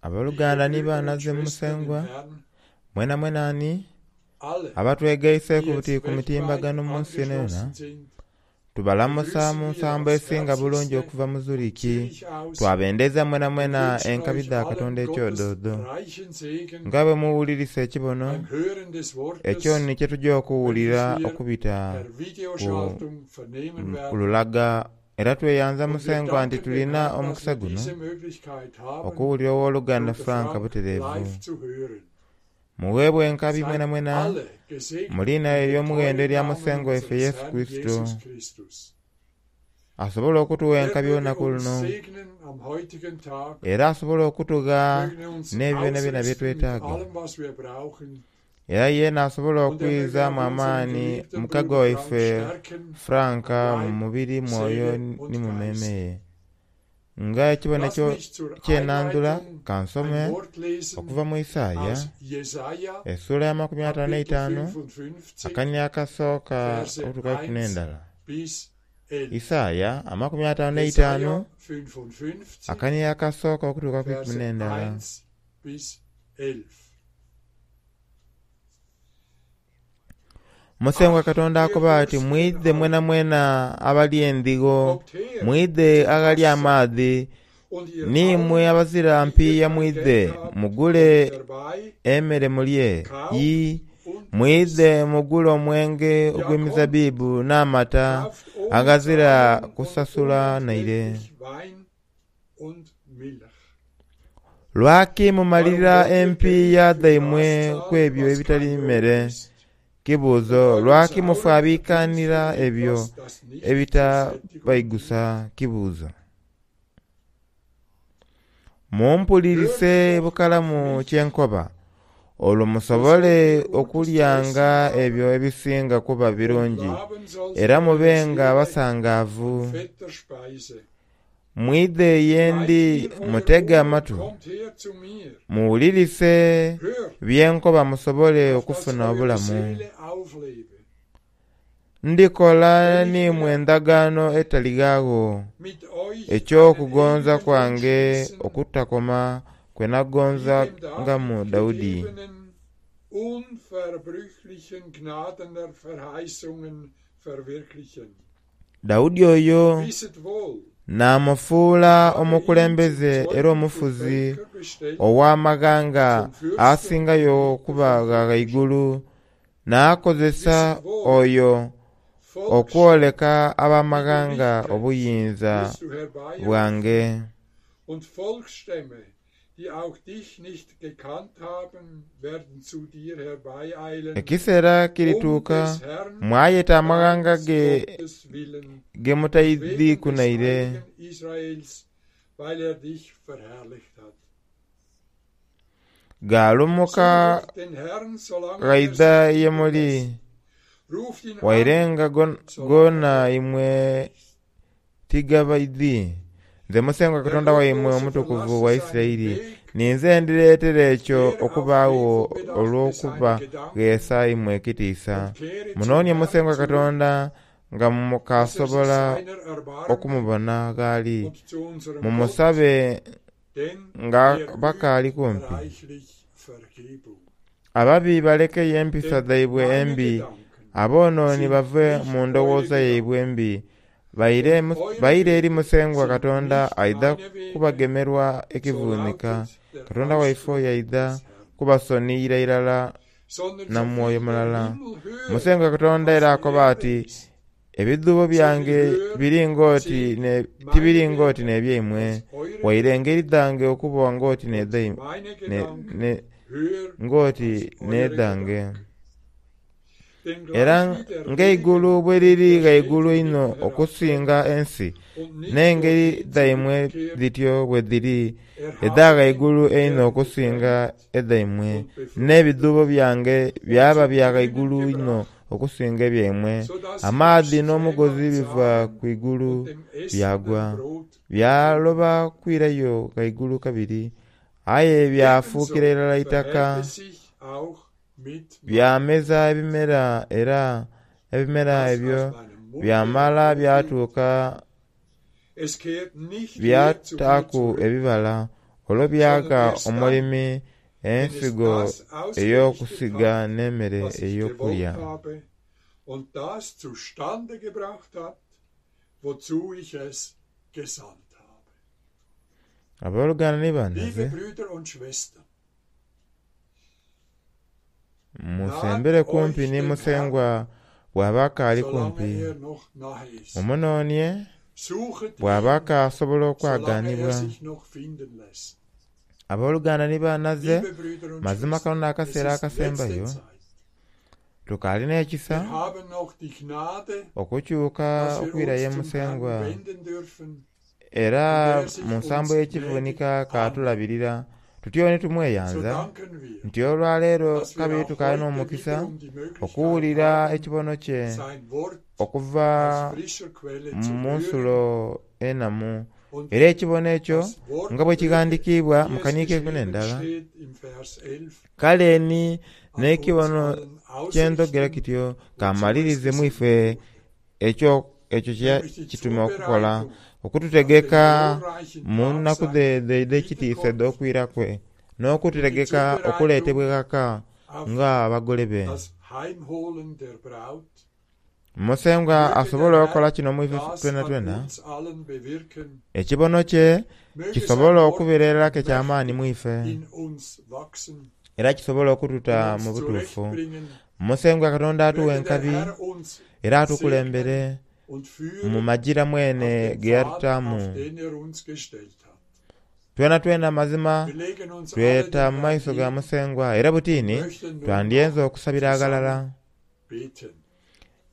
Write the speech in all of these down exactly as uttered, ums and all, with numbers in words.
Abooluganda Liebe ni Brüder baana und ze Schwestern im Musengwa Herrn, mwena mwena ani alle, abatwegaiseeku die buti jetzt ku mitimbagano weltweit mu nsi yonayona angeschlossen sind, tubalamusa mu begrüßen wir nsambo aufs esinga bulungi herzlichste okuva mu von Zuriki Zürich aus twabendeza mwena und mwena wünschen enkabi euch dha allen Katonda Gottes ekyododo reichen Segen nga bwe muwulirisa ekibono beim Hören des ekyo Wortes, ni kye tujja okuwulira welches wir okubita per ku Videoschaltung vernehmen werden. lulaga era tweyanza Und wir Musengwa nti danken dem tulina Herrn, dass omukisa wir guno diese Möglichkeit haben, okuwulira owooluganda Bruder Frank Frank butereevu live zu hören. muweebwe enkabi Seid mwena mwena alle gesegnet mu linnya in dem ery'omuwendo teuren erya Namen Musengwa waffe unseres Yesu Herrn Kristo Jesus Christus. asobola okutuwa Er enkabi möge olunaku uns luno segnen am heutigen Tag, era asobola okutugha möge uns n'ebyo byona byona bye ausrüsten mit twetaaga allem, was wir brauchen, era yeena asobola und er möge okwizaamu auch unseren amaani geliebten mukago Bruder Frank waife stärken, Franka mu Leib, mubiri mwoyo Seele und ni mu mmeeme Geist. ye nga ekibono Lasst ekyo mich zur kyenandula Einleitung kansome ein Wort lesen okuva mu Isaaya aus Jesaja, essuula ya makumi ataano Kapitel n'eitaano fünfundfünfzig, akanya akasooka Verse okutuuka ku eins n'endala bis elf. Isaaya amakumi ataano n'eitaano Jesaja fünfundfünfzig, akanya akasooka okutuuka ku ikumi Verse n'endala eins bis elf. Musengwa Ach, Katonda ihr akoba ati Durstigen mwidhe mwena alle, mwena abali endhigo kommt her mwidhe zum aghali Wasser, amaadhi und ihr niimwe allen, abazira die ihr mpiiya kein mwidhe Geld habt, kommt mugule herbei, emmere mulye kauft yi und mwidhe esst. mugule omwenge Ja, kommt, ogw'emizabbibu n'amata kauft ohne aghazira Zahlen und kusasula naire unentgeltlich Wein und Milch. lwaki Warum mumalira wollt ihr Geld empiiya für das dhaimwe ku zahlen, ebyo was ebitali kein Brot mmere ist, kibuuzo und euren lwaki sauren mufaabiikanira Verdienst für ebyo etwas, das nicht zur Sättigung dient? ebitabaigusa kibuuzo mumpulirise Hört doch auf bukalamu mich, kye nkoba olwo so sollt musobole ihr gutes zu okulyanga essen ebyo haben, ebisinga kuba und birungi laben soll era sich eure mubenga Seele basangaavu an fetter Speise. mwidhe ye Schneidet ndi mir eure mutege Ohren und amatu kommt her zu mir. muwulirise Hört, bye nkoba musobole auf dass okufuna eure obulamu Seele auflebe. ndikola Denn ich niimwe will endagaano etaligaagho mit euch einen eky'okugonza ewigen Bund kwange schließen, okutakoma kwe wie nagonzangamu dem David Dawudi gegebenen unverbrüchlichen Gnadenverheißungen verwirklichen. Dawudi oyo Wisset wohl, n'amufuula ich habe ihn zum omukulembeze era Zeugen für omufuzi Völker bestellt, ow'amaghanga zum Fürsten und asingayo Richter okuba von gha Völkern. ghaigulu n'akozesa Wisset wohl, oyo Volksstämme, okwoleka die du ab'amaghanga nicht kennst, obuyinza wirst du herbeirufen, bwange und Volksstämme, die auch dich nicht gekannt haben, werden zu dir herbeieilen, ekiseera um kirituuka des Herrn, mwayeta amaghanga deines ge Gottes willen, ge und mutaidhiku wegen des naire Heiligen Israels, weil er dich verherrlicht hat. gaalumuka Suchet den Herrn, solange er ghaidha sich ye finden muli lässt. Ruft ihn an, wairenga gon- solange gona er imwe nahe ist. tigabaidhi nze Musengwa Der Katonda waimwe Gottlose omutukuvu wa verlasse seinen Isirayiri Weg, ninze ndireetera ekyo kehre auf okubaagho frevel bedachte seine olw'okuba Gedanken gheesa imwe ekitiisa und kehre zum munoonie Herrn Musengwa zurück, Katonda nga dass er sich mukasobola seiner erbarme okumubona gh'ali und zu unserem Gott, mumusabe denn nga er bakaali übt kumpi reichlich Vergebung. ababi balekeyo empisa Denn dhaibwe meine embi Gedanken aboonooni sind bave nicht mu eure ndowooza Gedanken yaibwe embi baire und mu- eure baire eri Wege Musengwa sind Katonda nicht aidha meine Wege, kubagemerwa so ekivuunika lautet der Katonda waife Ausspruch oyo aidha des Herrn. kubasoniyira irala Sondern na so viel mwoyo der mulala Himmel höher Musengwa Katonda als era die akoba Erde ati ist, ebidhuubo so viel byange höher biri ng'oti sind ne- meine tibiri ng'oti Wege n'ebyaimwe als eure waire Wege engeri dhange okuba ng'oti und n'edhaimwe meine ne, Gedanken ne, höher ng'oti als eure n'edhange Gedanken. Denn era gleich wie der ng'eigulu Regen bwe und liri der Schnee ghaigulu vom einho Himmel okusinga herabfällt ensi und nicht n'engeri dorthin dhaimwe zurückkehrt, dhityo bwe dhiri edha erhaben, ghaigulu einho der die okusinga wärmt edhaimwe und befruchtet n'ebidhuubo byange und byaba zum bya Grünen ghaigulu inho gebracht, okusinga ebyaimwe so dass sie dem amaadhi n'omugozi Strähmann biva Samen ku igulu und dem Essenden byagwa Brot geben. byaloba kwirayo ghaigulu kabiri aye byafuukira Ebenso irala itaka verhält es sich auch mit meinem byameza Wort, ebimera era ebimera das ebyo aus meinem Munde byamala hervorgeht. byatuuka Es kehrt nicht leer zu mir byataaku zurück, ebibala Olwo byaga sondern erst omulimi dann, wenn es ensigo das ausgerichtet ey'okusiga hat, n'emmere was ich ey'okulya. gewollt habe, und das zustande gebracht hat, wozu ich es gesandt habe. Abooluganda ni Liebe banaze, Brüder und Schwestern, musembere naht kumpi euch ni dem Herrn, Musengwa bw'aba akaali solange kumpi. er noch nahe ist. Mumunoonie Suchet bw'aba ihn, akaasobola solange er okwaganibwa. sich noch finden lässt. Abooluganda ni banaze, Liebe Brüder und mazima kano Schwestern, es n'akaseera ist letzte akasembayo, Zeit. tukaalina ekisa Wir haben noch die Gnade, okukyuka dass wir okwirayo uns zum Herrn Musengwa. wenden dürfen Era und er sich mu uns nsambo gnädig y'ekivuunika annimmt. kaatulabirira tutyo ni So tumweyanza danken wir, nti olwaleero dass wir kabiri auch tukaalina heute omukisa wiederum die Möglichkeit okuwulira haben, ekibono kye sein Wort okuva aus frischer Quelle zu mu hören nsulo enamu. und Era ekibono ekyo das Wort nga bwe möge, kighandikiibwa wie mu es kaniiko ekumi geschrieben n'endala, steht im Vers elf, kale ni an uns n'ekibono allen kyendogera ausrichten, kityo wozu es kamalirize mu gesandt ife wurde, ekyo ekyo kye nämlich die kituma okukola Zubereitung auf den okututegeka glorreichen mu Tag nnaku seiner dh'ekitiisa Wiederkunft edh'okwira kwe und die n'okututegeka Zubereitung okuleetebwa ghaka auf nga abagole be. das Heimholen der Braut. Musengwa Möge der asobola okukola Herr kino mu ife das twena an twena. uns allen bewirken. Ekibono kye Möge kisobola sein Wort okubeererako eky'amaanyi mu mächtig ife in uns wachsen era kisobola und okututa uns mu butuufu. zurechtbringen. Musengwa Katonda atuwa Möge der enkabi Herr uns era atukulembere segnen und mu führen magira auf mwene den ge Pfad, yatutaamu. auf den er uns gestellt hat. Twena twena mazima Wir legen uns alle tweta dem mu Herrn maiso ga hin Musengwa era und butiini möchten nun twandyenza noch okusabira aghalala. zusammen beten.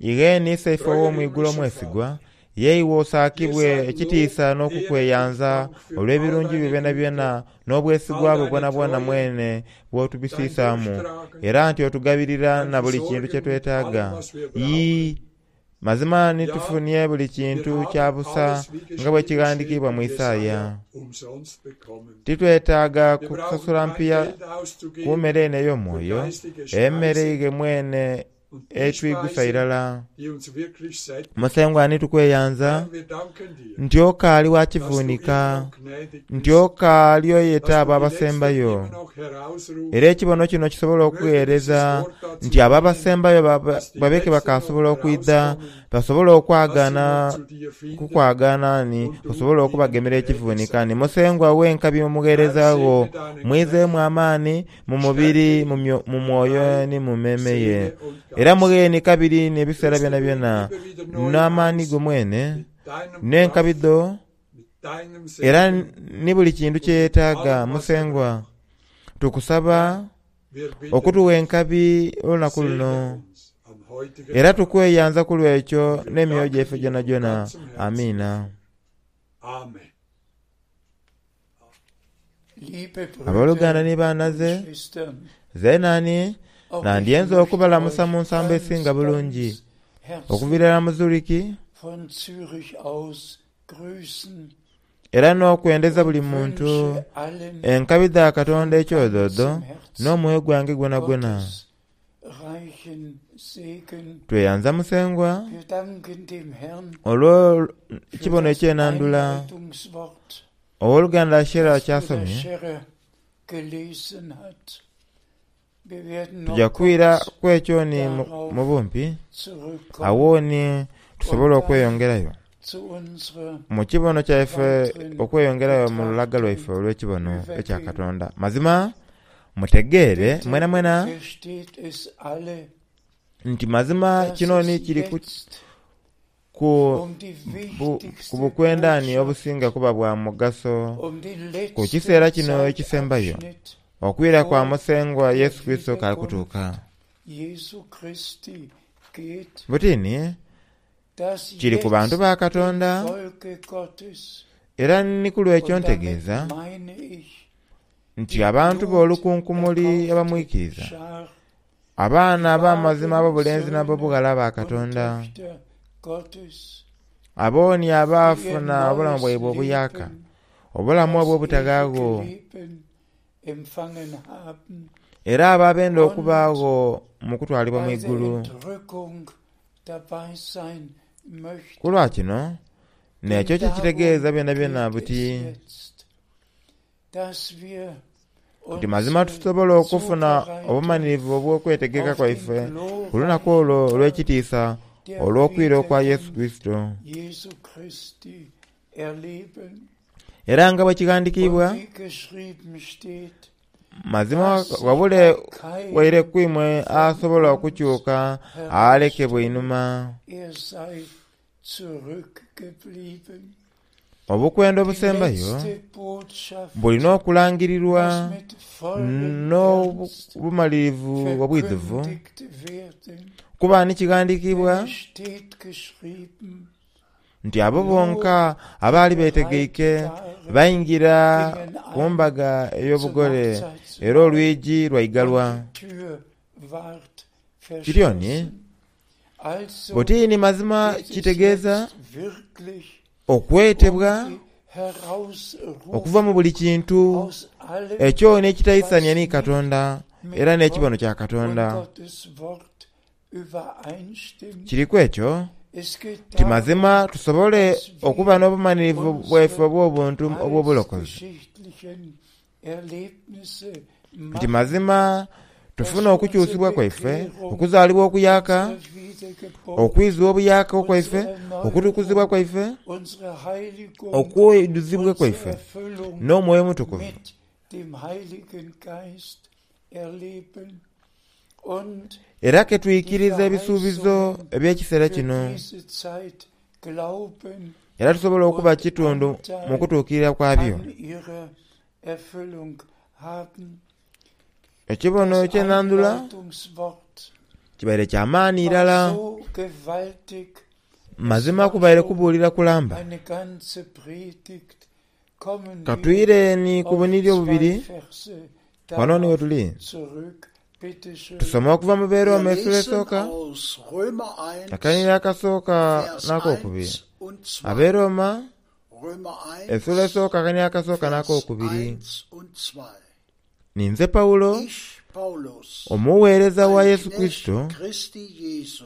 Igheeni Isaife Treuer ow'omwigulu himmlischer omwesigwa, Vater, yeiwe dir osaakibwe sei Lob, ekitiisa Ehre und n'okukweyanza Dank für all olw'ebirungi byo deine byona Güte, byona n'obwesigwa all bwo deine bwonabwona Treue, mwene dein bw'otubisiisaamu Durchtragen, era nti otugabirira dein na buli kintu kye Versorgen mit allem, twetaaga. was wir Yii, brauchen. mazima ni Ja, tufunye buli wir kintu kya haben busa alles, wie nga bwe geschrieben steht kighandikiibwa in mu Isaaya. Jesaja, umsonst bekommen. Titwetaaga Wir brauchen kusasula kein mpiya Geld ku auszugeben mmere eno für ey'omwoyo, geistige emmere Speise ige mwene und die etwigusa Speise, irala. die uns wirklich sättigt. Musengwa ni tukweyanza Herr, wir danken dir, nti okaali wa dass du immer kivuunika noch gnädig nti bist, okaali oyeta dass abo du die Letzten abasembayo. immer noch herausrufst. Era ekibono kino kisobola Möge dieses okuweereza Wort dazu nti abo dienen, abasembayo baba- dass die babeke Letzten noch bakasobola okwidha herauskommen, basobole dass sie okwagaana noch zu dir finden kukwagaana ni und du osobole ihnen okubagemera gnädig ekivuunika sein ni Musengwa w'enkabi Herr, omugheereza wo segne deinen mwizeemu Knecht, amaani mu mubiri stärke mu ihn myo- mu mwoyo Leib, ni mu mmeeme ye Seele und era Geist. mugheeni kabiri n'ebiseera Rüste byona du ihn byona immer wieder neu n'amaani aus go mwene mit deinem n'enkabi Kraft, dho mit deinem era Segen ni buli kintu und kye mit yeetaaga allem, was er Musengwa braucht. tukusaba Herr, wir bitten okutuwa dich, enkabi olunaku segne luno uns am heutigen era Tag. tukweyanza ku lw'ekyo Und wir n'emyoyo danken gyaife dir gyona von gyona ganzem Herzen amiina. dafür. Amen. Liebe Abooluganda Brüder ni und baanaze Schwestern, zeenani auch ich nandyenza möchte okubalamusa euch mu nsambo ganz, esinga bulungi ganz herzlich okuviira mu Zuriki von Zürich aus grüßen era n'okwendeza buli und muntu wünsche allen enkabi dha Katonda von ekyodoodo ganzem Herzen n'omwoyo gwange gwonagwona. Gottes reichen Segen. Tweyanza Musengwa Wir danken dem Herrn olw'ekibono für das ekyenandula Einleitungswort, owooluganda Shera das Bruder kyasomye Scherer gelesen hat. Wir werden tujja noch kwira kurz ku ekyo ni mu- mu bumpi zurückkommen awo ni tusobole und dann okweyongerayo zu unserer mu kibono kyaife weiteren okweyongerayo mu lulaga lwaife Betrachtung olw'ekibono ekya übergehen. Katonda. Mazima mutegeere Bitte mwena mwena versteht es alle, nti mazima dass kino ni es kiri ku, jetzt ku, um die bu, ku wichtigste bukwendani Botschaft, obusinga kuba bwa mugaso um den ku letzten kiseera kino ekisembayo Zeitabschnitt okwira kwa vor Musengwa der Yesu Kristo kali Wiederkunft kutuuka. Jesu Christi geht, Butini dass kiri ku bantu jetzt ba dem Katonda Volke Gottes, era ni ku lw'ekyo und damit ntegeeza meine ich nti die abantu b'olukunkumuli bluterkaufte abamwikiriza Schar, abaana die ab'amazima wahren ab'obulenzi Söhne n'ab'obughala ba und Katonda Töchter Gottes, abooni die ihr abaafuna obulamu neues bwaibwe obuyaka Leben, obulamu das obw'obutagaagho ewige Leben empfangen haben era abo abenda und okubaagho mu kutwalibwa mu bei der igulu. Entrückung dabei sein Ku möchten. lwa kino Denn n'ekyo kye kitegeeza darum byona byona geht buti es jetzt. dass wir Nti mazima unsere tusobola okufuna Zubereitung obumalirivu obw'okwetegeka auf den kwaife ku lunaku olwo glorreichen Tag olw'ekitiisa der olw'okwira okwa Yesu Wiederkunft Kristo. Jesu Christi erleben. Era nga bwe kighandikiibwa, Und wie geschrieben steht, mazima dass sich wabule bei waire keinem kwimwe von asobola uns okukyuka alekebwa herausstellt, einhuma. er sei zurückgeblieben. Obukwenda Die obusembayo letzte Botschaft bulina okulangirirwa muss mit vollem Ernst n'obumalirivu obwidhuvu, verkündigt werden. kuba ni kighandikiibwa Denn es steht geschrieben, nti abo nur bonka abaali die beetegeike bereit waren, bayingira gingen ku ein mbaga zum ey'obugole era Hochzeitsmahl olwigi lwaigalwa. und die Tür ward Kiryoni verschlossen. Also butiini mazima geht es kitegeeza jetzt wirklich okwetebwa um die okuva mu Herausrufung buli kintu aus allem, ekyo n'ekitayisania was ni nicht Katonda era mit n'ekibono Gott kya und Katonda. Gottes Wort übereinstimmt. Kiriku ekyo Es geht nti darum, mazima tusobole dass okuba wir n'obumalirivu bwaife unsere obw'obuntu obw'obulokozi. heilsgeschichtlichen Erlebnisse Nti machen, mazima tufune dass unsere okukyusibwa kwaife, Bekehrung, okuzaalibwa okuyaaka, unsere Wiedergeburt, okwizibwa obuyaaka okwaife, unsere Erneuerung, okutukuzibwa kwaife, unsere Heiligung, okwiduzibwa unsere kwaife Erfüllung n'Omwoyo Omutukuvu mit dem Heiligen Geist erleben und era ke die tuyikiriza ebisuubizo Verheißungen eby'ekiseera für kino diese Zeit glauben era tusobola okuba und kitundu mu Anteil kutuukirira kwabyo. an ihrer Erfüllung haben. Ekibono Das eky'ennandula Einleitungswort kibaire kya maani war irala, so gewaltig, es mazima war kubaire schon kubuulira kulamba. eine ganze Predigt. Kommen wir Katwire ni ku auf buniri zwei obubiri Verse wano ni we darauf tuli. zurück. Bitte schön. Tusome okuva mu Wir Beeroma essula lesen esooka, aus Römer eins, akanyiiro akasooka Vers n'akookubiri. eins und zwei. Abeeroma Römer essula eins, esooka akanyiiro akasooka Vers n'akookubiri. eins und zwei. Ninze Pawulo, Ich, Paulus, omuweereza wa ein Yesu Knecht Kristo, Christi Jesu,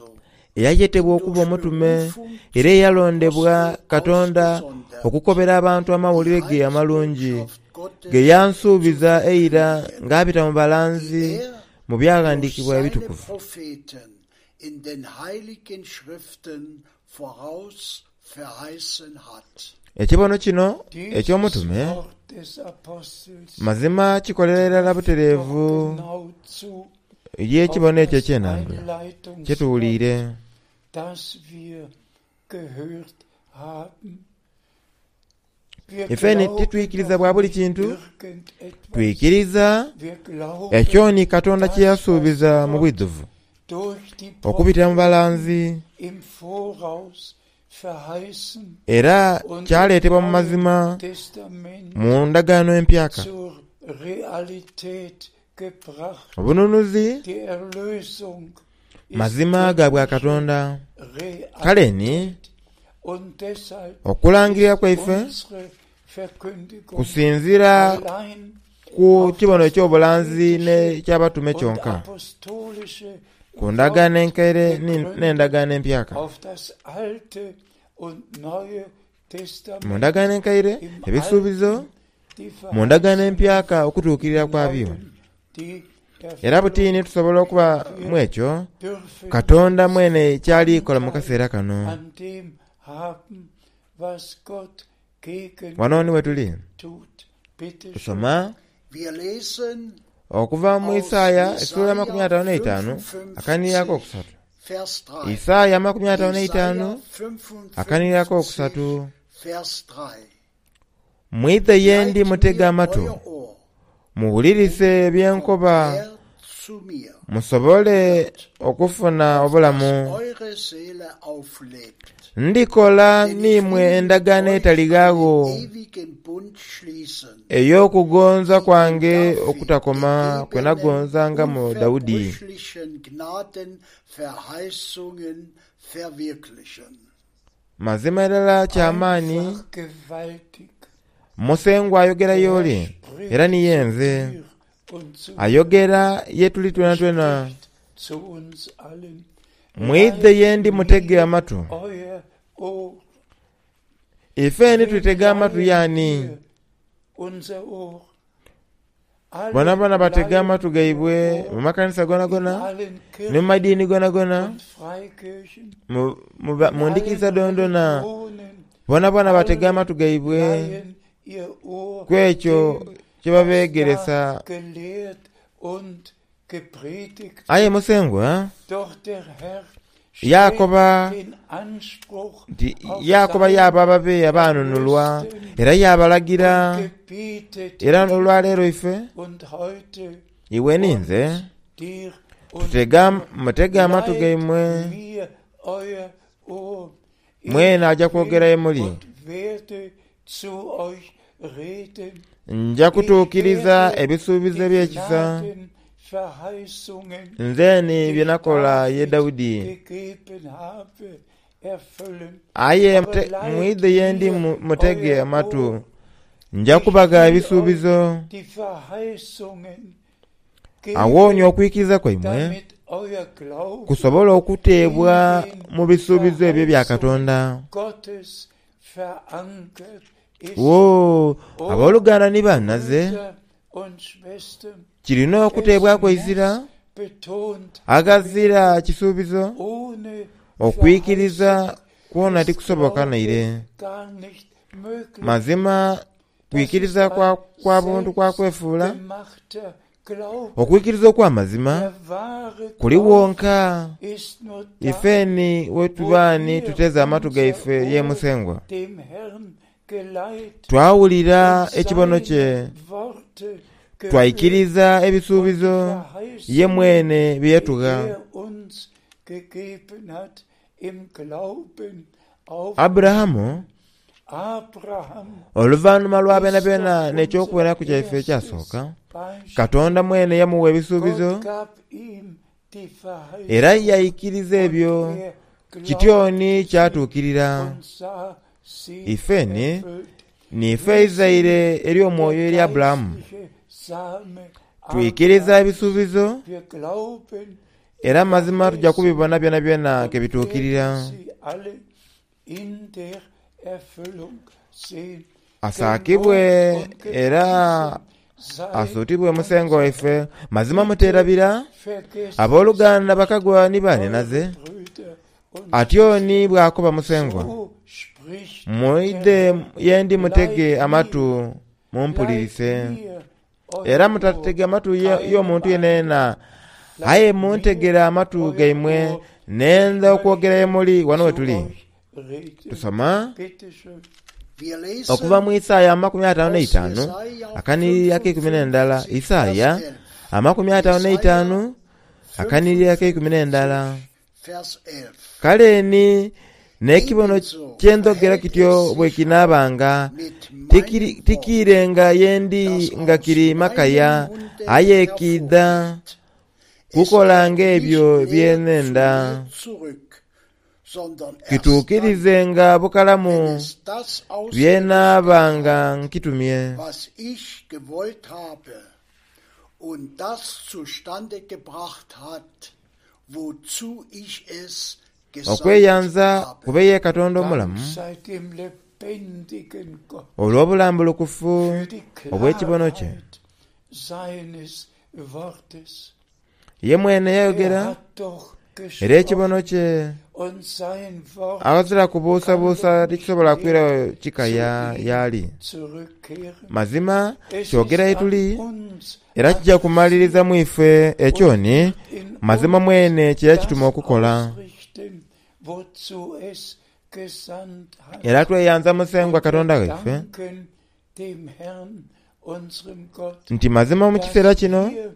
eyayetebwa durch okuba omutume Berufung era zum eyalondebwa Apostel Katonda ausgesondert, okukobera abantu die amawulire ge amalungi Heilsbotschaft ge Gottes zu yansuubiza eira verkündigen, ng'abita mu die balanzi er mu durch byaghandiikibwa seine ebitukuvu. Propheten in den heiligen Schriften voraus verheißen hat. Ekibono kino Dieses eky'omutume Wort des Apostels mazima kikolera irala trifft doch butereevu genau zu eri auf ekibono ekyo das eky'ennandula Einleitungswort, kyetuwuliire. das wir gehört haben. Wir Ife ni glauben titwikiriza doch bwa buli nicht kintu, irgendetwas. twikiriza Wir glauben ekyo ni Katonda kye das, was yasuubiza mu Gott bwidhuvu durch die okubitira mu Propheten balanzi im Voraus verheißen era und im kyaleetebwa mu Neuen mazima Testament mu ndagaano empyaka. zur Realität gebracht. Obununuzi Die Erlösung ist mazima ga bwa göttliche Katonda. Kale ni Realität und deshalb okulangirira ist kwaife unsere Verkündigung kusinziira allein ku auf kibono das eky'obulanzi prophetische n'ekyabatume und kyonka, apostolische ku ndagaano Wort enkaire ni- gegründet, n'endagaano empyaka. auf das Alte und Neue Mu Testament, ndagaano enkaire im ebisuubizo, Alten die mu ndagaano Verheißungen, empyaka okutuukirira im kwabyo. Neuen die Era butiini Erfüllung. tusobola okuba mu Wir ekyo dürfen Katonda jetzt mwene ky'alikola mu Anteil kaseera kano. an dem haben, was Gott gegen Wano ni we tuli tut. Bitte schön. tusoma Wir lesen okuva mu aus Isaaya essuula amakumi Jesaja ataano n'eitaanu akanyiiro fünfundfünfzig, akokusatu. Vers drei. Isaaya amakumi ataano n'eitaanu Jesaja akanyiiro akokusatu. fünfundfünfzig, Vers drei. Mwidhe ye ndi Leiht mutege mir amatu, euer Ohr muwulirise und bye kommt nkoba, her zu mir, musobole hört, okufuna auf dass obulamu. eure Seele auflebt. Ndikola Denn ich n'imwe will mit endagaano euch einen etaligaagho ewigen Bund schließen, ey'okugonza die in kwange David okutakoma kwe gegebenen nagonzanga mu Dawudi. unverbrüchlichen Gnadenverheißungen verwirklichen. Mazima irala ky'amaanyi Einfach gewaltig. Musengwa ayogera Der Herr y'oli era spricht ni ye zu nze dir und zu mir. ayogera ye tuli Er twena twena. spricht zu uns allen. Mwidhe Leiht ye ndi mutege mir amatu, euer Ohr. ife ni Wem tutege amatu leihen yaani? wir unser Ohr? Alle Bonabona batega leihen amatu ihr gaibwe Ohr mu makanisa in gonagona allen ne mu madiini Kirchen gonagona und Freikirchen, mu- mu ba- in mu ndikiriza allen dondona Religionen, bonabona batega alle amatu gaibwe leihen ihr Ohr ku ekyo dem, kye was da babeegeresa. gelehrt und gepredigt Aye wird. Musengwa Doch der Herr stellt yakoba den Anspruch nti auf yakoba seinen yaaba ababe abaanunulwa Erlösten era yaabalagira und gebietet era ihm, olwaleero ife und heute iwe ninze uns, dir und tutega mir, mutege amatu leiht gaimwe mir euer Ohr. Ich mwene ajja kwogera will ye muli und werde zu euch reden. nja Ich kutuukiriza werde ebisuubizo die eby'ekisa Gnadenverheißungen, nze ni die bye ich nakola ye David Dawudi gegeben habe, erfüllen. aye Aber mute- leiht mwidhe ye ndi mir mu- mutege euer amatu Ohr. nja Ich kubaga will euch ebisuubizo die Verheißungen awoonya geben, okwikiriza kwaimwe damit euer Glaube kusobola okuteebwa in den mu bisuubizo ebyo bya Verheißungen Katonda. Gottes verankert ist. Wo O abooluganda ni bannaze Brüder und Schwestern, kirina es okuteebwako ezira muss betont agazira werden, kisuubizo ohne okwikiriza Verheißung kwona ist tikusoboka Glaube naire. gar nicht möglich. Mazima Das ist kwikiriza kwa, ein kwa buntu kwa kwefuula selbstgemachter Glaube. okwikiriza okw'amazima Der wahre kuli Glaube wonka ist nur da, ifeni wo wetuba ni wir tuteze amatu unser gaife ye Ohr Musengwa dem Herrn geleiht twawulira und ekibono kye seine Worte gehört twaikiriza und die ebisuubizo ye Verheißungen, mwene bye die yatugha. er uns gegeben hat, im Glauben Aburahamu aufnehmen. Abraham oluvannyuma lwa ist byona doch byona unser n'ekyokubonaku kyaife erstes ekyasooka Beispiel. Katonda mwene yamuwa ebisuubizo Gott gab ihm die era Verheißung yayikiriza und ebyo er kityoni glaubte sie kyatuukirira. und sah sie Ifeni erfüllt. nife Wir sind eizaire ery'omwoyo der eri Aburahamu geistliche Same twikiriza Abrahams. ebisuubizo Wir glauben die era mazima tujja Verheißungen kubibona byona byona und ke bituukirira. werden sie alle in der Erfüllung sehen. Asaakibwe Gelobt und era gepriesen sei asuutibwe Musengwa unser waife. Herr. Mazima Bitte muteerabira vergesst es abooluganda nicht, bakagwa ni eure banenaze Brüder und atyoni Schwestern. bw'akoba Musengwa So spricht der mwidhe Herr. ye ndi mutege Leiht amatu mir, leiht mumpulirise mir era euer Ohr, mutatega amatu ye- keinem y'omuntu anderen. yeneena aye Leiht mir muntegere amatu euer gaimwe Ohr, ich nenda okwogera ye möchte muli wano we zu tuli. euch reden. Tusoma Bitte schön. Wir okuva lesen mu Isaaya amakumi ataano aus n'eitaanu Jesaja akaniriri ak'eikumi n'endala fünfundfünfzig, Vers Isaaya elf. amakumi ataano n'eitaanu Jesaja akaniriri ak'eikumi n'endala. fünfundfünfzig, Vers elf. Kale ni n'ekibono Ebenso ky'endhogera verhält kityo es bwe sich kinaabanga mit meinem tikiri- Wort, tikiirenga ye ndi das nga aus kiri makaya meinem Munde aye kiidha hervorgeht. Es kukola kehrt ng'ebyo nicht bye leer zu nnenda mir zurück, sondern erst dann, kituukirizenga wenn bukalamu es das bye ausgerichtet nnaabanga hat, nkitumye. was ich gewollt habe und das zustande gebracht hat, wozu ich es gesandt Okweyanza habe. kube ye Katonda Dank omulamu sei dem lebendigen Gott olw'obulambulukufu für die obw'ekibono kye. Klarheit seines Wortes. Ye mwene Er yayogera hat doch era ekibono gesprochen kye und sein Wort awazira kann doch kubuusabuusa nicht tikisobola leer kwirayo zu kikaya ihm y'ali. zurückkehren. Mazima Es kyogera ist ye an tuli uns era kijja kumaliriza mu ife ekyo ni adressiert und wird in mazima uns mwene kye yakituma das okukola. ausrichten, wozu es gesandt Era hat. tweyanza Musengwa Und wir Katonda waife danken dem Herrn, unserem Gott, nti mazima mu kiseera dass kino wir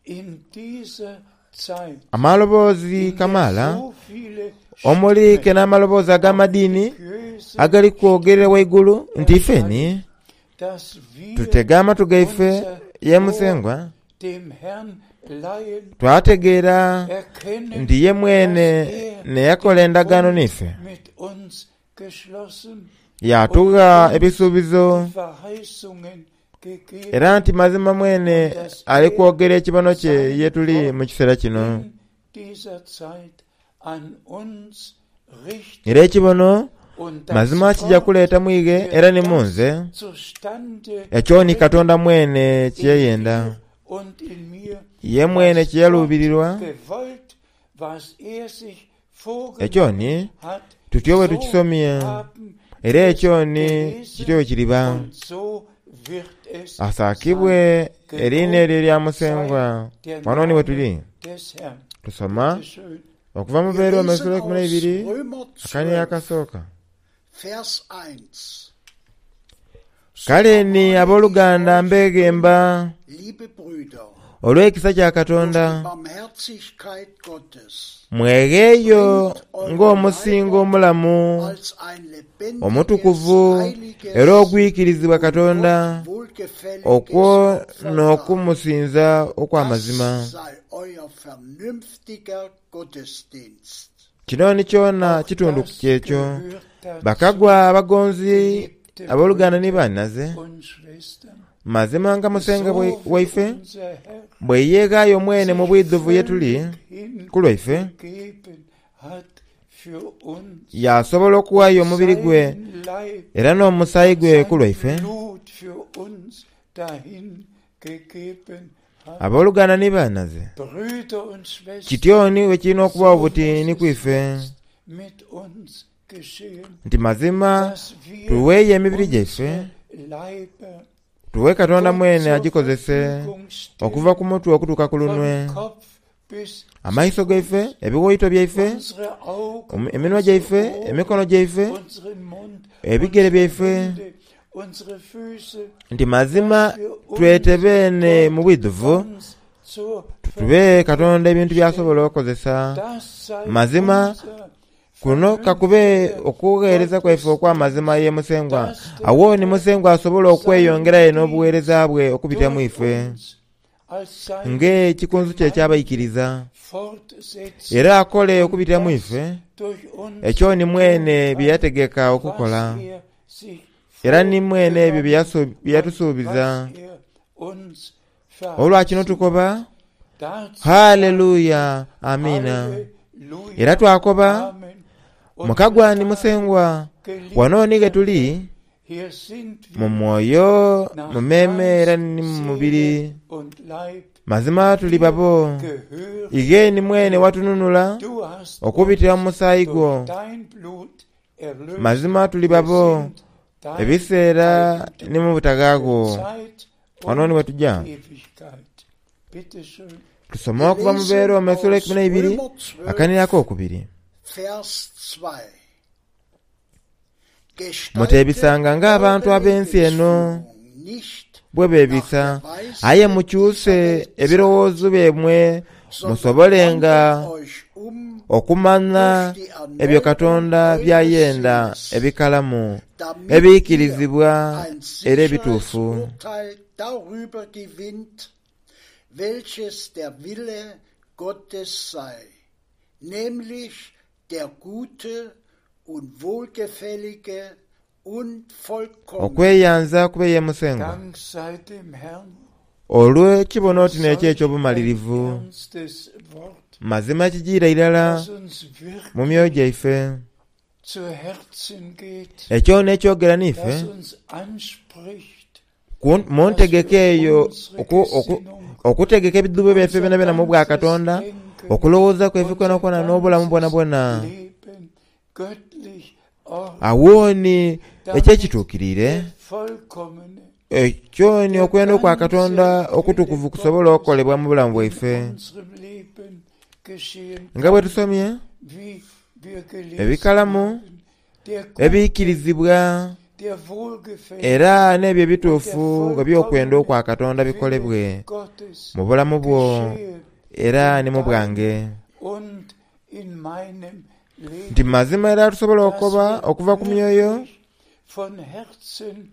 in dieser Zeit, amaloboozi in der kamaala so viele omuli ke Stimmen, n'amaloboozi auch ag'amadiini religiöse agali kwogerera waigulu nti ifeni erscheinen, dass wir tutege amatu gaife unser ye Ohr Musengwa dem Herrn leihen, twategeera erkennen, nti ye mwene dass er ne yakola den endagaano Bund n'ife mit uns geschlossen yatugha und uns ebisuubizo die Verheißungen gegeben era nti mazima mwene und dass ali er kwogera ekibono kye sein ye tuli mu Wort kiseera kino. in dieser Zeit an uns richtet Era ekibono Und das Mazima kijja Wort kuleeta mwige wird era ni das munze zustande ekyo ni bringen Katonda mwene in kyeyenda dir und in mir, ye mwene was kye yaluubirirwa Gott gewollt, was er sich ekyo vorgenommen ni hat, tutyo bwe so tukisomye haben era wir es ekyo ni gelesen kityo bwe kiriba und so wird es sein. asaakibwe eriina eryo erya Musengwa Sei der wano ni we tuli Name des Herrn. tusoma Bitte schön. okuva mu Wir Beeroma lesen essula ekumi aus n'eibiri Römer akanya zwölf, akasooka Vers eins. So Kale ni ermahne ich abooluganda euch, mbeegemba liebe Brüder, olw'ekisa kya durch Katonda die Barmherzigkeit Gottes, mwegeeyo bringt eure ng'omusingo Leiber omulamu als ein lebendiges, omutukuvu heiliges era ogwikirizibwa und Katonda Gott wohlgefälliges okwo Opfer dar. n'okumusinza okw'amazima Das sei euer vernünftiger Gottesdienst. Kino ni kyona Auch kitundu das kyekyo gehört dazu, bakagwa abagonzi geliebte abooluganda ni Brüder bannaze und Schwestern. mazima nga Musengwa So bwe- wie waife unser Herr bwe yeeghaayo mwene mu sich bwidhuvu ye tuli völlig ku lwaife hingegeben hat für uns, yasobola okuwaayo omubiri gwe seinen Leib, era n'omusaayi gwe ku sein lwaife Blut für uns dahin gegeben hat. Abooluganda ni bannaze Brüder und Schwestern, kityo ni bwe kirina okubaawo so buti muss ni es kwife jetzt mit uns geschehen, nti mazima dass wir tuweeyo emibiri gyaife unsere Leiber tuwe Katonda Gott mwene zur agikozese Verfügung okuva stellen, ku mutwe okutuuka ku lunwe vom Kopf bis amaiso zu gaife Fuß, ebiwoyito byaife unsere Augen, omu- eminwa unsere gyaife Ohren, emikono gyaife unseren Mund, ebigere unsere byaife Hände, unsere Füße, nti mazima dass wir uns twetebene Gott mu bwidhuvu ganz zur tube Katonda Verfügung ebintu by'asobola stellen. okukozesa Das sei Mazima unser kuno kakube vernünftiger okugheereza kwaife okw'amazima ye Musengwa Gottesdienst, dass der awo ni Herr Musengwa asobola seinen okweyongerayo n'obuweereza Dienst bwe okubitira mu durch ife uns als seine ng'ekikunsu kye Gemeinde ekyabayikiriza fortsetzt era akole und okubitira mu das ife durch uns ekyo ni tun mwene bye kann, yategeka okukola was er sich era ni mwene ebyo bye vorgenommen yasu- bye und yatusuubiza was er uns Olwa kino verheißen tukoba hat. Dazu sagen haleluya amiina Halleluja, era twakoba Amen. Und wir mukagwa ni sagen, Musengwa wano ni ge geliebter tuli Herr, hier sind mu wir mwoyo nach mu mmeeme era Geist, ni mu mubiri Seele und Leib mazima tuli dir babo gehören ighe ni mwene wir. watununula Du hast okubitira mu uns musaayi gwo durch dein Blut erlöst. mazima tuli Wir babo sind dein ebiseera Eigentum ni mu butagaago für Zeit wano ni und we tujja Ewigkeit. Bitte schön. tusome Wir okuva mu lesen Beeroma essula aus ekumi n'eibiri Römer zwölf, akanirako okubiri Vers zwei. Gestaltet Muteebisanga ng'abantu eure ab'ensi eno Lebensführung nicht bwe nach beebisa der Weisheit aye dieser mukyuse Welt sein, ebirowoozo byemmwe sondern musobolenga wandelt euch um okumanya durch die ebyo Erneuerung Katonda eures by'ayenda Sinnes, ebikalamu damit ihr ebiyikirizibwa ein era sicheres ebituufu Urteil darüber gewinnt, welches der Wille Gottes sei, nämlich der gute und wohlgefällige und vollkommene. Okweyanza kube ye Musengwa Dank sei dem Herrn olw'ekibono für oti n'ekyo solch ein eky'obumalirivu ernstes Wort, mazima kijiira irala das uns mu myoyo wirklich gyaife zu Herzen geht, ekyo n'ekyogera niife das uns anspricht, ku- mu dass ntegeka wir eyo unsere oku- oku- Gesinnung, okutegeka ebidubu byaife unser byona byona mu bwa ganzes Katonda Denken, okulowooza kwaife unser kwona kwona n'obulamu bwona ganzes bwona Leben göttlich ordnen, awooni damit ekyekituukiriire der vollkommene, ekyo ni der okwenda okwa Katonda ganze Wille okutukuvu kusobola Gottes okukolebwa mu bulamu in bwaife unserem Leben geschehen nga bwe kann, tusomye wie wir gelesen ebikalamu haben. Der gute, ebiyikirizibwa der wohlgefällige era n'ebyo und der ebituufu nga by'okwenda vollkommene okwa Katonda Wille bikolebwe Gottes mu bulamu bwo geschehe era in ne mu bwange deinem und in meinem nti Leben, mazima era tusobola dass okukoba wir okuva ku myoyo wirklich von Herzen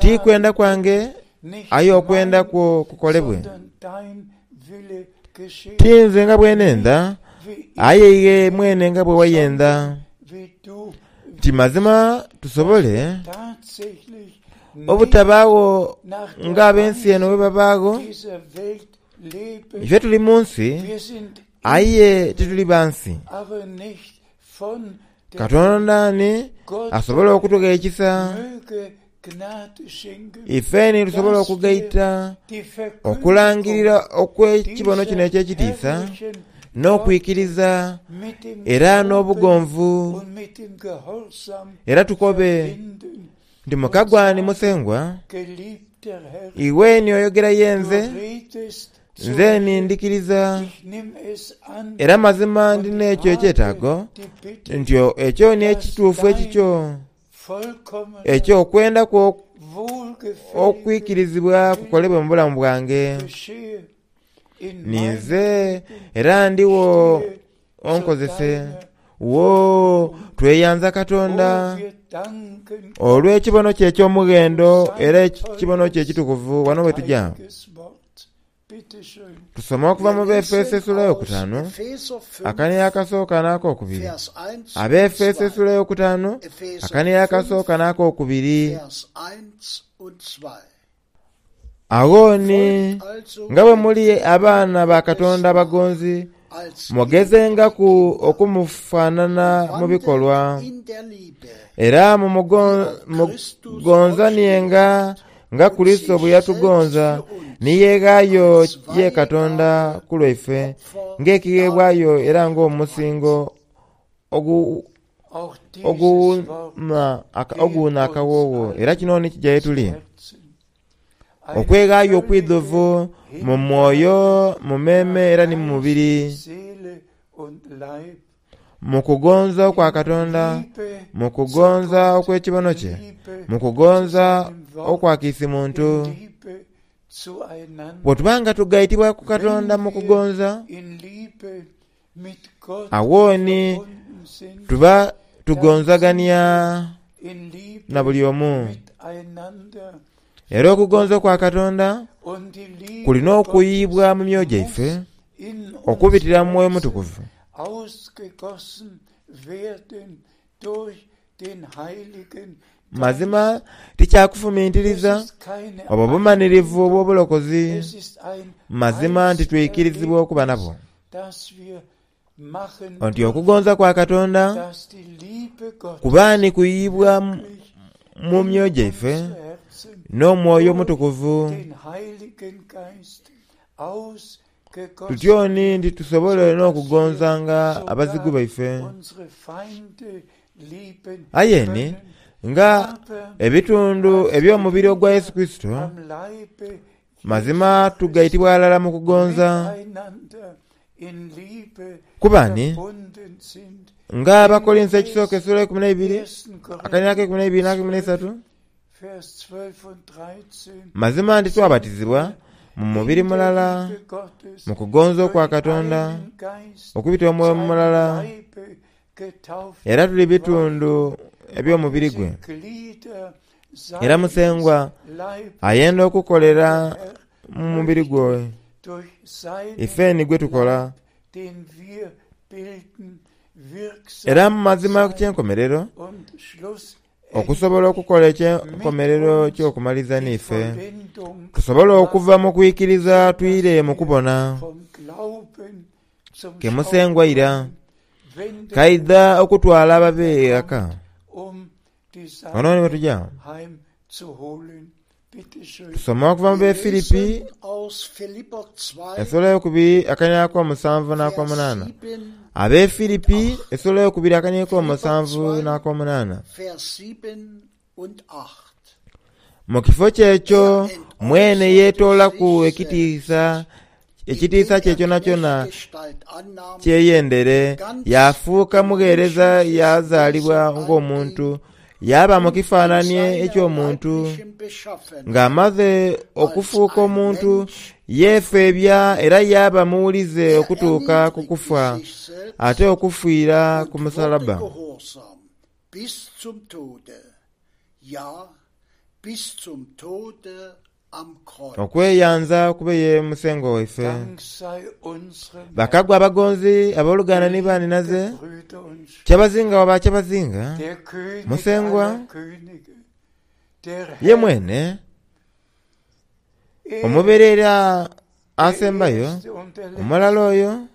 ti kwenda sagen kwange können, nicht aye okwenda mein, kwo kukolebwe sondern dein Wille geschehe, ti nze nga bwe nenda nicht wie ich aye iye mwene nga bwe wayenda sondern wie du nti mazima willst, dass tusobole wir tatsächlich nicht obutabaawo nach der ng'ab'ensi eno bwe Weise babaago dieser Welt leben. ife tuli mu nsi Wir sind in aye der tituli Welt, ba nsi aber nicht von Katonda ni asobola okutugha ekisa ifeni tusobola okugaita okulangirira okw'ekibono kino eky'ekitiisa n'okwikiriza era n'obugonvu, era tukobe nti mukagwani Musengwa, iwe ni oyogera ye nze, nze ni ndikiriza, era mazima ndi n'ekyo ekyetaago nti ekyo ni ekituufu ekikyo, ekyo okwenda kwo okwikirizibwa kukolebwe mu bulamu bwange. Ninze era ndiwo onkozese. Wo tweyanza Katonda olw'ekibono kye eky'omughendo era ekibono kye ekitukuvu. Wano we tujja tusoma okuva mu Befeso essula eyokutaano akaniya akasooka n'akokubiri. Abefeso essula eyokutaano akaniya akasooka n'akokubiri. Agho ni nga bwe muli abaana ba Katonda abagonzi, mugezengaku okumufaanana mu bikolwa, era mugonzanienga nga Kurisito bwe yatugonza ni yeeghaayo ye Katonda ku lwaife ng'ekigheebwayo era ng'omusingo oguwuuna akawoowo. Era kino ni kija ye tuli okweghaayo okwidhuvu mu mwoyo, mu meme era ni mu mubiri, mu kugonza okwa Katonda, mu kugonza okw'ekibono kye, mu kugonza okwa kiisi muntu. Bwe tuba nga tugaitibwa ku Katonda mu kugonza, awo ni tuba tugonzagania na buli omu. Era okugonza okwa Katonda kulina okuyiibwa mu myoyo gyaife okubitira mu Mwoyo Mutukuvu. Mazima tikyakufumintiriza obwo bumanirivu obw'obulokozi, mazima nti twikirizibwa okuba nabwo, nti okugonza kwa Katonda kuba ni kuyiibwa mu myoyo gyaife n'Omwoyo Omutukuvu, tutyo ni nti tusobole n'okugonzanga abazigu baife. Aye ni nga ebitundu eby'omubiri ogwa Yesu Kurisito, mazima tugaitibwa ghalala mu kugonza, kuba ni nga Abakorinso ekisooka essula eikumi n'eibiri akaniina ak'eikumi n'eibiri n'akeikumi n'eisatu, mazima nti twabatizibwa mu mubiri mulala mu kugonza okwa Katonda okubita omwoyo mulala, era tuli bitundu eby'omubiri gwe. Era Musengwa ayenda okukolera mu mubiri gwe, ife ni gwe tukola. Era mu mazima ku kyenkomerero, okusobola okukola ekyenkomerero ky'okumaliza n'ife, tusobole okuva mu kwikiriza twire mu kubona ke Musengwa ira kaidha okutwala ababe ghaka. Ono ni bwe Tusoma okuva mu Befilipi essula eyokubiri akaniina ak'omusanvu n'akomunaana. Abefilipi essula eyokubiri akaniina ak'omusanvu n'akomunaana. Mu kifo kyekyo mwene yeetoolaku ekitiisa ekitiisa kye kyonakyona kyeyendere, yafuuka mugheereza yazaalibwa ng'omuntu, yaaba mu kifaananie eky'omuntu. Ng'amaze okufuuka omuntu, yeefeebya era yaaba muwulize okutuuka ku kufa, ate okufiira ku musalaba. Okweyanza kube ye Musengwa waife. Bakagwa abagonzi abooluganda ni baninaze, kyabazinga wa bakyabazinga, Musengwa ye mwene omubeerera asembayo, omulala oyo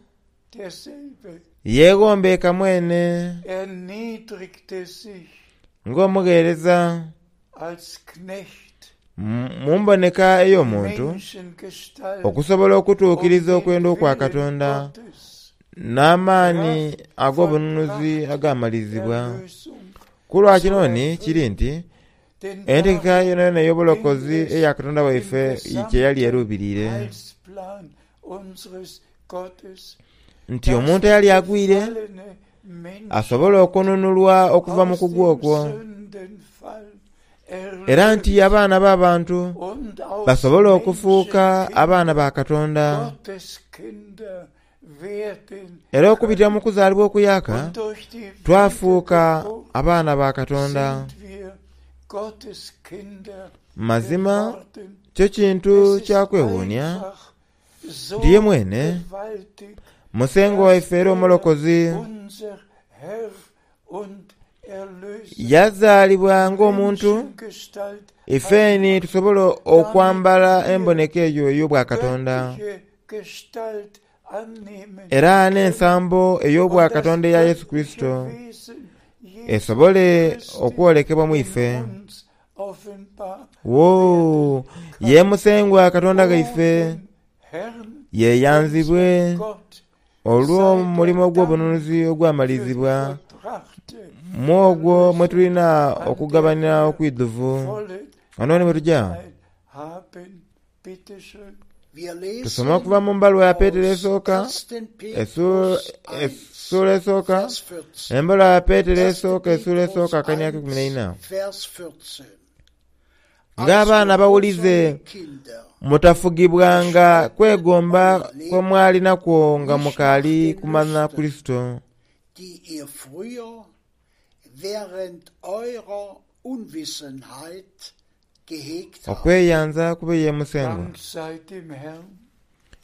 Yeegombeeka mwene erniedrigte sich ng'omugheereza als Knecht, mu mu mboneka ey'omuntu Menschengestalt okusobola okutuukiriza um den okwenda okwa Willen Katonda Gottes, n'amaani Kraft ag'obununuzi vollbracht agamalizibwa. Erlösung Ku lwa zu kino ni erfüllen. kiri nti Denn entegeka darum yonayona ging ey'obulokozi es eya Katonda im waife kye yali gesamten eruubiriire Heilsplan unseres Gottes, nti dass omuntu die eyali agwire gefallene Menschheit asobole okununulwa okuva mu aus kugwa dem okwo Sündenfall era nti erlöst abaana b'abantu und aus basobole okufuuka abaana Menschenkinder ba Katonda Gotteskinder werden era okubitira mu können. kuzaalibwa okuyaaka Und durch die twafuuka Wiedergeburt abaana ba Katonda. sind wir Gotteskinder Mazima geworden. kyo kintu Es ist kya kwewuunya einfach so nti ye mwene gewaltig, Musengwa dass waife era er omulokozi unser Herr und Erlöser yazaalibwa ng'omuntu Menschengestalt ifeeni annahm, tusobole damit okwambala wir emboneka eyo ey'obwakatonda göttliche Gestalt annehmen era können n'ensambo und das ey'obwakatonda eya Yesu göttliche Kristo Wesen Jesu esobole Christi okwolekebwa mu in ife. uns offenbar Wo werden kann. ye Musengwa Katonda O gaife dem Herrn, yeeyanzibwe unserem Gott, sei der olw'omulimu Dank ogw'obununuzi für die ogwamalizibwa vollbrachte mu ogwo mwe Erlösung, tulina an der okugabanira wir okwidhuvu. volle Wano ni bwe tujja Anteil haben. Bitte schön. Wir tusome lesen okuva mu mbaluwa ya Peetero aus esooka ersten essuula Petrus eins, essuula esooka Vers vierzehn. embaluwa ya Peetero Erster esooka essuula Petrus esooka akanya k'ekumi eins, n'eina Vers vierzehn. Als ng'abaana abawulize gehorsame Kinder mutafugibwanga gestaltet kwegomba euer kwe Leben mwali nakwo nga nicht nach mukaali den kumanya Lüsten, Kristo die ihr früher während eurer Unwissenheit gehegt habt. okweyanza kube ye Musengwa Dank sei dem Herrn,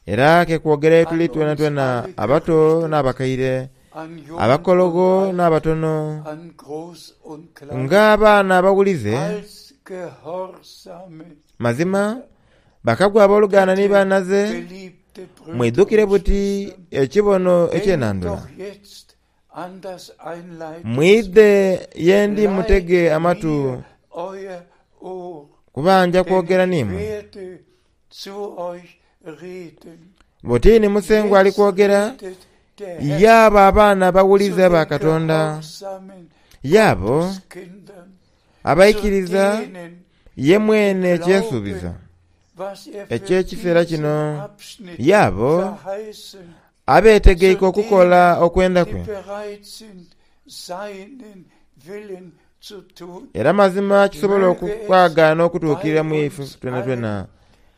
era ke kwogera tuli an twena uns twena alle abato gerichtet, n'abakaire an Jung und abakologo Alt, n'abatono an Groß und Klein, ng'abaana abawulize als gehorsame mazima Kinder. bakagwa abooluganda ni Bitte, bannaze geliebte Brüder mwidukire und buti Schwestern, ekibono denkt ekyenandula doch jetzt an das mwidhe Einleitungswort. ye ndi mutege Leiht amatu mir euer Ohr, kuba nja denn kwogera ich n'imwe werde zu euch reden. butini Musengwa ali Jetzt kwogera redet der Herr yaabo abaana zu abawulize ba den Katonda gehorsamen yaabo Gotteskindern, zu abaikiriza denen, ye die mwene kyesuubiza glauben, was er für eky'ekiseera diesen kino Abschnitt yaabo verheißen, abeetegeike zu okukola denen, okwenda die kwe bereit sind, seinen Willen zu tun. era mazima kisobola Möge es okukwagaana okutuukirira bei mu ife uns twena twena allen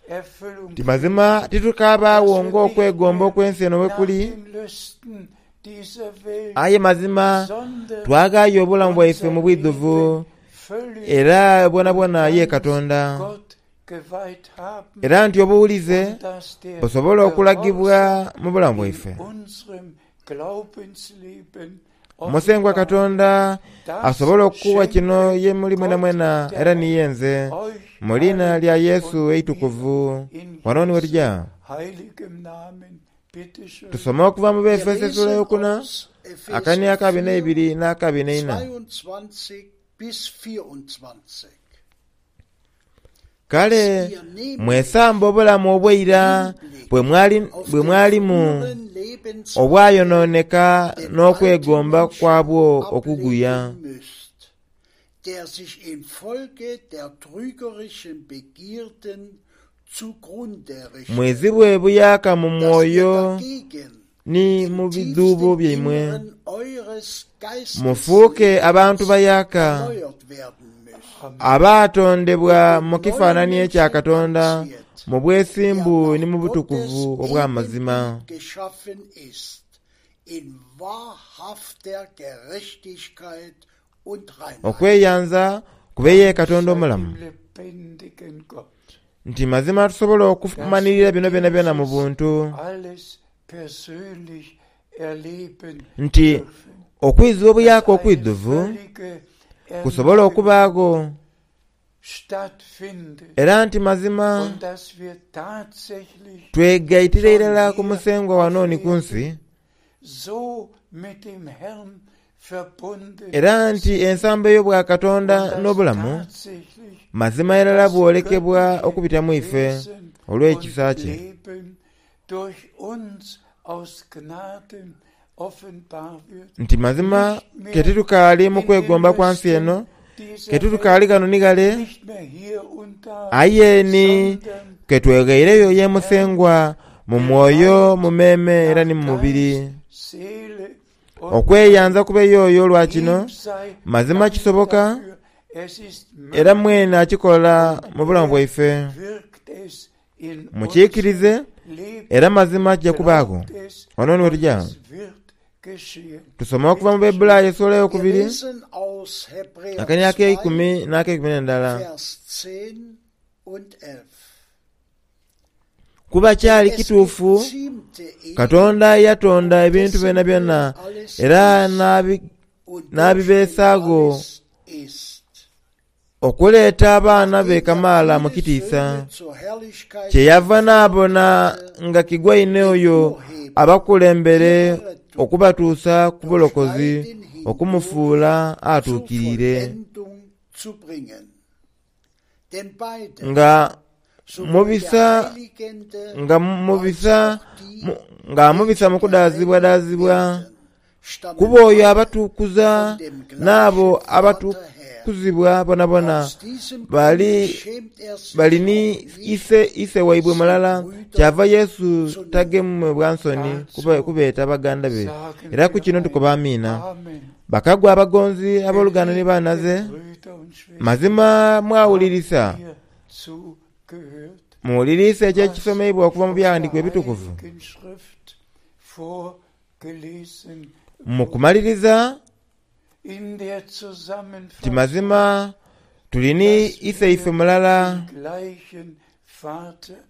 Erfüllung nti mazima finden, titukabaawo dass wir nicht ng'okwegomba mehr okw'ensi eno bwe nach kuli den Lüsten dieser Welt, aye mazima sondern twagaayo obulamu bwaife unser mu bwidhuvu Leben völlig era bwona und bwona ye ganz Katonda Gott geweiht haben era nti obuwulize und dass der busobole okulagibwa Gehorsam mu bulamu in bwaife. unserem Glaubensleben Musengwa offenbar. Katonda Das asobole okukuwa kino schenke ye muli mwena Gott mwena der era niye Herr nze euch mu linnya allen lya Yesu und mir eitukuvu in wano ni Jesu wetujja heiligem Namen. Bitte schön. tusome okuva mu Wir Befeso essula lesen eyokuna aus akani Epheser akabi vier, n'ebiri n'akabi n'eina zweiundzwanzig bis vierundzwanzig. kale Dass ihr nämlich mwesamba obulamu obw'eira Hinblick bwe mwali auf bwe den mwalimu früheren Lebenswandel obwayonooneka den alten n'okwegomba Menschen kwabwo okuguya ablegen müsst, der sich infolge der trügerischen Begierden zugrunde richtet, mwezibwe buyaaka mu dass ihr mwoyo dagegen ni im mu bidhuubo tiefsten byaimwe Inneren eures mufuuke abantu Geisteslebens bayaaka erneuert werden müsst Amen. abaatondebwa und mu den neuen kifaananyi ekya Menschen Katonda anzieht, mu der bwesimbu ni nach mu Gottes butukuvu obw'amazima Ebenbild geschaffen ist, in wahrhafter Gerechtigkeit und Reinheit. okweyanza kube ye Dank Katonda sei omulamu dem lebendigen Gott, nti mazima tusobola dass okumanirira wir bino byona byona mu dieses buntu alles persönlich erleben nti dürfen, okwiza dass obuyaaka eine okwidhuvu völlige kusobole Erneuerung okubaago stattfindet era nti mazima und dass wir tatsächlich twegayitira schon irala ku hier musengwa wano auf ni ku nsi Erden so Era nti ensambo ey'obwakatonda n'obulamu mazima irala bwolekebwa okubita mu ife olw'ekisa kye. Nti mazima ke titukaali mu kwegomba kwa nsi eno, ke titukaali ghano ni ghale, aye ni ke tweghaireyo ye Musengwa mu mwoyo, mu meeme era ni mu mubiri. Okweyanza kube y'oyo olwa kino, mazima kisoboka era mwene akikola mu bulamu bwaife. Mukiikirize era mazima kijja kubaagho. Wano ni wetuja tusoma okuva mu Baibulaayo essuula eyokubiri akania ak'eikumi n'akeikumi n'endala. Kuba kyali kituufu Katonda yatonda ebintu byonabyona era n'abibeesaagho okuleeta abaana be kamaala mu kitiisa. Kyeyava n'abona nga kigwaine oyo abakulembere okubatuusa ku bulokozi okumufuula atuukiriire. Nga mubisa nga mubisa nga amubisa mu kudaazibwadaazibwa, kuba oyo abatukuza n'abo abatukuzibwa bonabona bali bali ni ise ise waibwe mulala. Kyava Yesu tagemebwa nsoni kubeeta baganda be. Era ku kino tukoba amiina. Bakagwa abagonzi abooluganda ni baanaze, mazima mwawulirisa muwuliriise ekyo ekisomeibwa okuva mu Byawandiikibwa Ebitukuvu. Mu kumaliriza nti mazima tuli ni Iseife mulala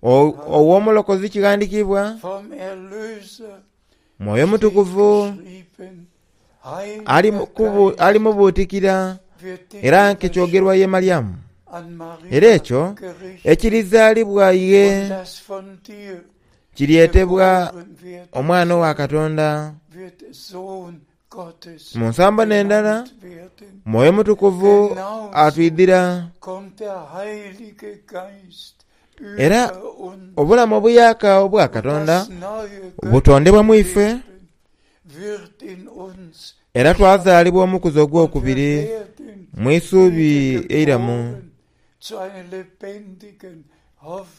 ow'Omulokozi kighandiikibwa Mwoyo Mutukuvu ali mubuutikira era nk'ekyogerwa ye Malyamu. Era ekyo ekirizaalibwa ye kiryetebwa Omwana owa Katonda. Mu nsambo n'endala, Mwoyo Mutukuvu atwidhira era obulamu obuyaaka obwa Katonda butondebwa mu ife, era twazaalibwa omukuzi ogwokubiri mu isuubi eiramu.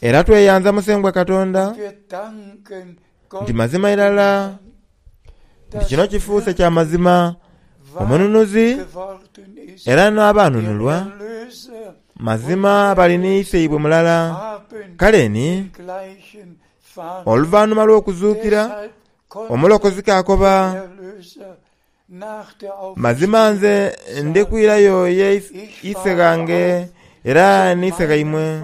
Era tweyanza Musengwa Katonda nti mazima irala nti kino kifuuse kya mazima omununuzi era n'abaanunulwa mazima bali ni Iseibwe mulala. Kale ni oluvanhuma lw'okuzuukira Omulokozi k'akoba, Mazima nze ndi kwirayo ye Ise ghange era ni Ise ghaimwe,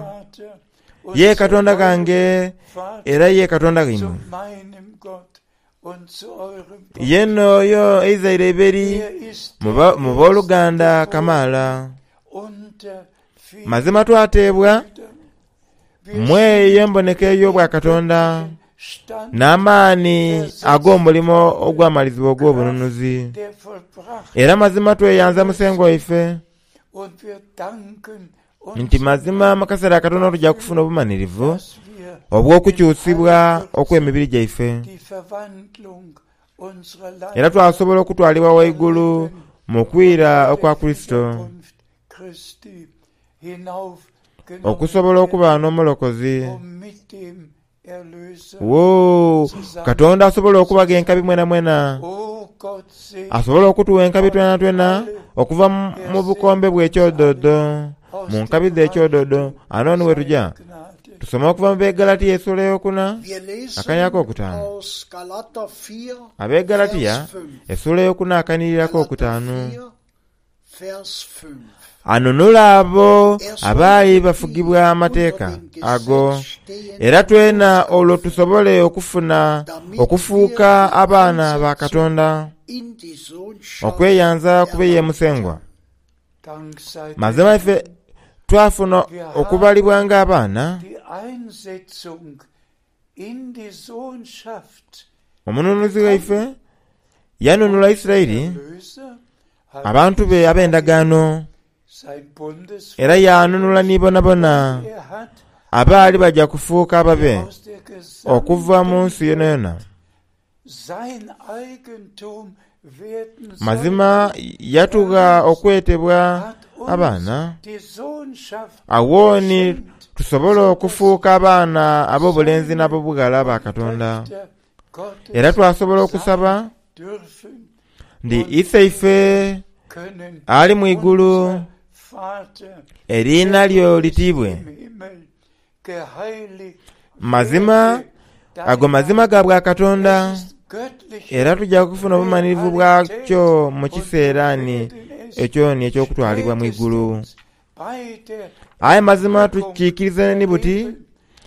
ye Katonda ghange era ye Katonda ghaimwe. Ye n'oyo eizaire eiberi mu boluganda kamaala. Mazima twateebwa mu eyo emboneka ey'obwakatonda n'amaani ag'omulimo ogwamalizibwa ogw'obununuzi. Era mazima tweyanza Musengwa waife nti mazima mu kaseera akatono tuja kufuna obumanhirivu obw'okukyusibwa okw'emibiri gyaife, era twasobola okutwalibwa waigulu mu kwira okwa Kurisito, okusobola okuba n'Omulokozi. Woo! Katonda asobola okubagha enkabi mwenamwena. Asobola okutuwa enkabi twenatwena okuva mu bukombe bw'ekyododo, mu nkabi dh'ekyododo. Ano ni wetuja. Tusoma okuva mu Begalatia esula eyokuna akania akokutaanu. Abegalatia esula eyokuna akanirira akokutaanu. Anunula abo abaali bafugibwa Amateeka ago, era twena olwo tusobole okufuna okufuuka abaana ba Katonda. Okweyanza kube ye Musengwa. Mazima ife twafuna okubalibwa ng'abaana. Omununuzi waife Yanunula Isirayiri Erlöser hat abantu be ab'endagaano sein Bundesvolk. era yanunula ni bonabona Er hat abaali bajja kufuuka ababe aus der okuva mu gesamten nsi yonayona. sein Eigentum werden Mazima yatugha okwetebwa hat uns abaana die Sohnschaft awo ni geschenkt, tusobole okufuuka abaana ab'obulenzi n'ab'obughala ba Katonda. Töchter Gottes Era twasobola okusaba sein dürfen ndi Iseife können. ali mu igulu Unser Vater, eriina der lyo du bist litiibwe. im Himmel, geheiligt Mazima werde dein ago mazima ga bwa Katonda Es ist göttliche era tujja kufuna obumalirivu bwakyo mu kiseera ni ekyo ni eky'okutwalibwa mu igulu. spätestens bei der Aye mazima tukiikirize ni buti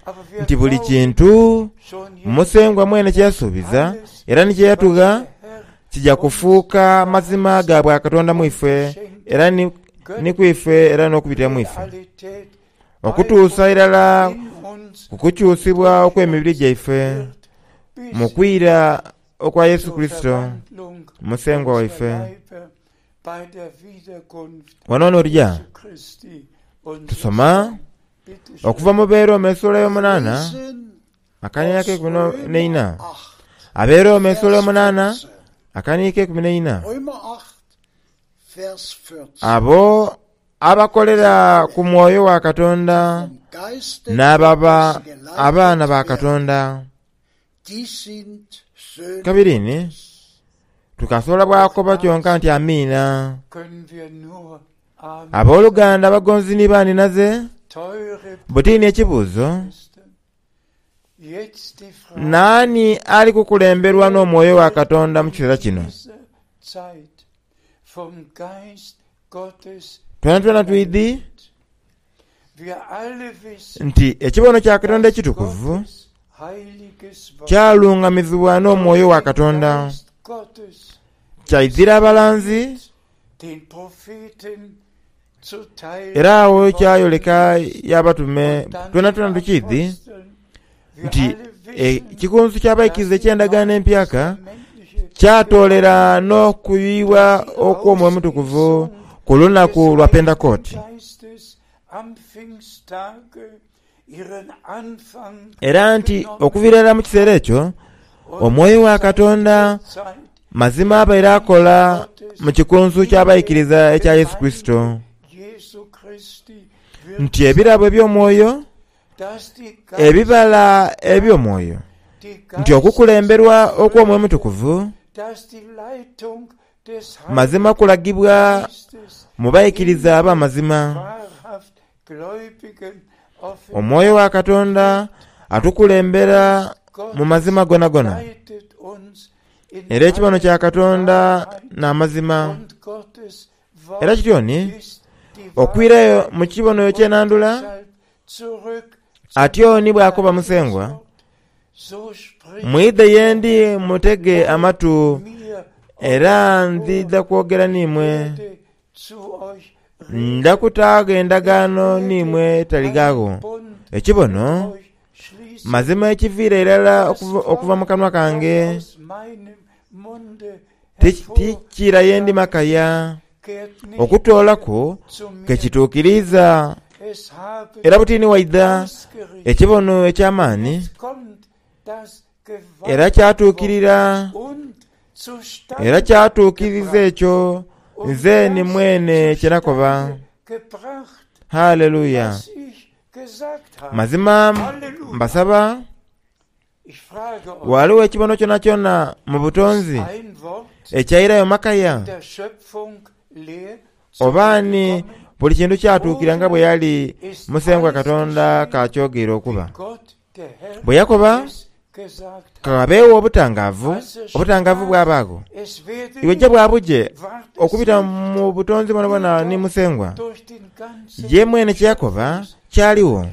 Aber wir nti buli glauben kintu schon jetzt, Musengwa mwene kye yasuubiza alles, era ni kye yatugha was der Herr kijja kufuuka mazima ga bwa Katonda mu ife era ni, ni kwife era n'okubitira mu ife Realität okutuusa irala in uns ku kukyusibwa okw'emibiri gyaife wird, bis mu kwira okwa Yesu zur Kristo Verwandlung Musengwa unserer waife. Leiber bei der Wiederkunft Wano n'olya Jesu Christi unseres tusoma Herrn. Bitte schön. okuva mu Beeroma essuula y'omunaana Lesen akaniiko aus ekumi Römer n'eina acht, Abeeroma essuula Vers y'omunaana vierzehn. akaniiko ekumi n'eina Römer acht, Vers vierzehn. abo abakolera ku mwoyo wa Katonda Vom Geiste n'ababa Gottes geleitet abaana ba werden, Katonda. die sind Söhne Kabiri ni Gottes. tukasobola bwakoba kyonka nti amiina. Können wir nur Amen. Abooluganda abagonzi ni baaninaze Teure butiini ekibuuzo Schwestern, jetzt die Frage naani ali kukulemberwa n'omwoyo wa Katonda mu kiseera kino? dieser Zeit vom Geist Gottes Twena twena twidi Wir alle wissen, nti ekibono kya Katonda dass ekitukuvu Gottes heiliges Wort kyalungamizibwa n'omwoyo wa Katonda Geist Gottes kyaizira abalanzi den Propheten zuteil era awo geworden kyayoleka ist y'abatume und dann twena den twena tukiidhi Aposteln. Wir nti alle wissen, ekikunsu ky'abaikiriza dass die eky'endagaano empyaka neutestamentliche kyatoolera n'okuyiwa okw'omwoyo omutukuvu ku lunaku lwa Pentekooti. Geistes am Pfingsttage ihren Anfang Era nti genommen okuviira ddala mu kiseera ekyo und omwoyo wa seit Katonda der Zeit mazima abaire akola mu kikunsu ky'abaikiriza ekya Yesu Kristo Jesu Christi wirkt, nti ebirabo eby'omwoyo dass die ebibala eby'omwoyo die nti okukulemberwa okw'omwoyo omutukuvu dass die Leitung des mazima kulagibwa Geistes mu baikiriza ab'amazima. wahrhaft Gläubigen Omwoyo wa Katonda atukulembera mu mazima gonagona leitet uns in era ekibono kya Katonda alle Wahrheit n'amazima. und Gottes Wort Era kityo ni ist die okwirayo mu kibono ekyenandula Deshalb zurück zum atyo ni bw'akoba Musengwa Wort. So spricht mwidhe yendi mutege amatu mir era nzidha kwogera n'imwe werde zu euch reden. ndakutaago endagaano n'imwe taligaagho Bund ekibono euch schließen, mazima ekiviira irala okuva, okuva mu kanwa kange aus meinem Munde ti- tikira yendi makaya hervorkehrt nicht okutoolaku zu mir. kekituukiriza Es habe era butiini waidha ausgerichtet. ekibono eky'amaani Es kommt das era gewaltige kyatuukirira und zustande era kyatuukiriza ekyo und nze ni das mwene kye nakoba zustande gebracht, haleluya was ich gesagt habe. mazima Halleluja. mbasaba Ich frage euch, waliwo ekibono kyona kyona mu butonzi ein Wort ekyairayo makaya der Schöpfung leer oba ni zurückgekommen, buli kintu kyatuukira nga bwe yali ist Musengwa alles Katonda geschehen, kakyogeera okuba wie Gott, der Herr, bwe yakoba es gesagt hat. kabeewo obutangaavu obutangaavu bw'abaago Es werde iwe jje bwabuje ward es okubita nicht mu butonzi bwonabwona ni Musengwa durch den ganzen ye mwene kye yakoba kyaliwo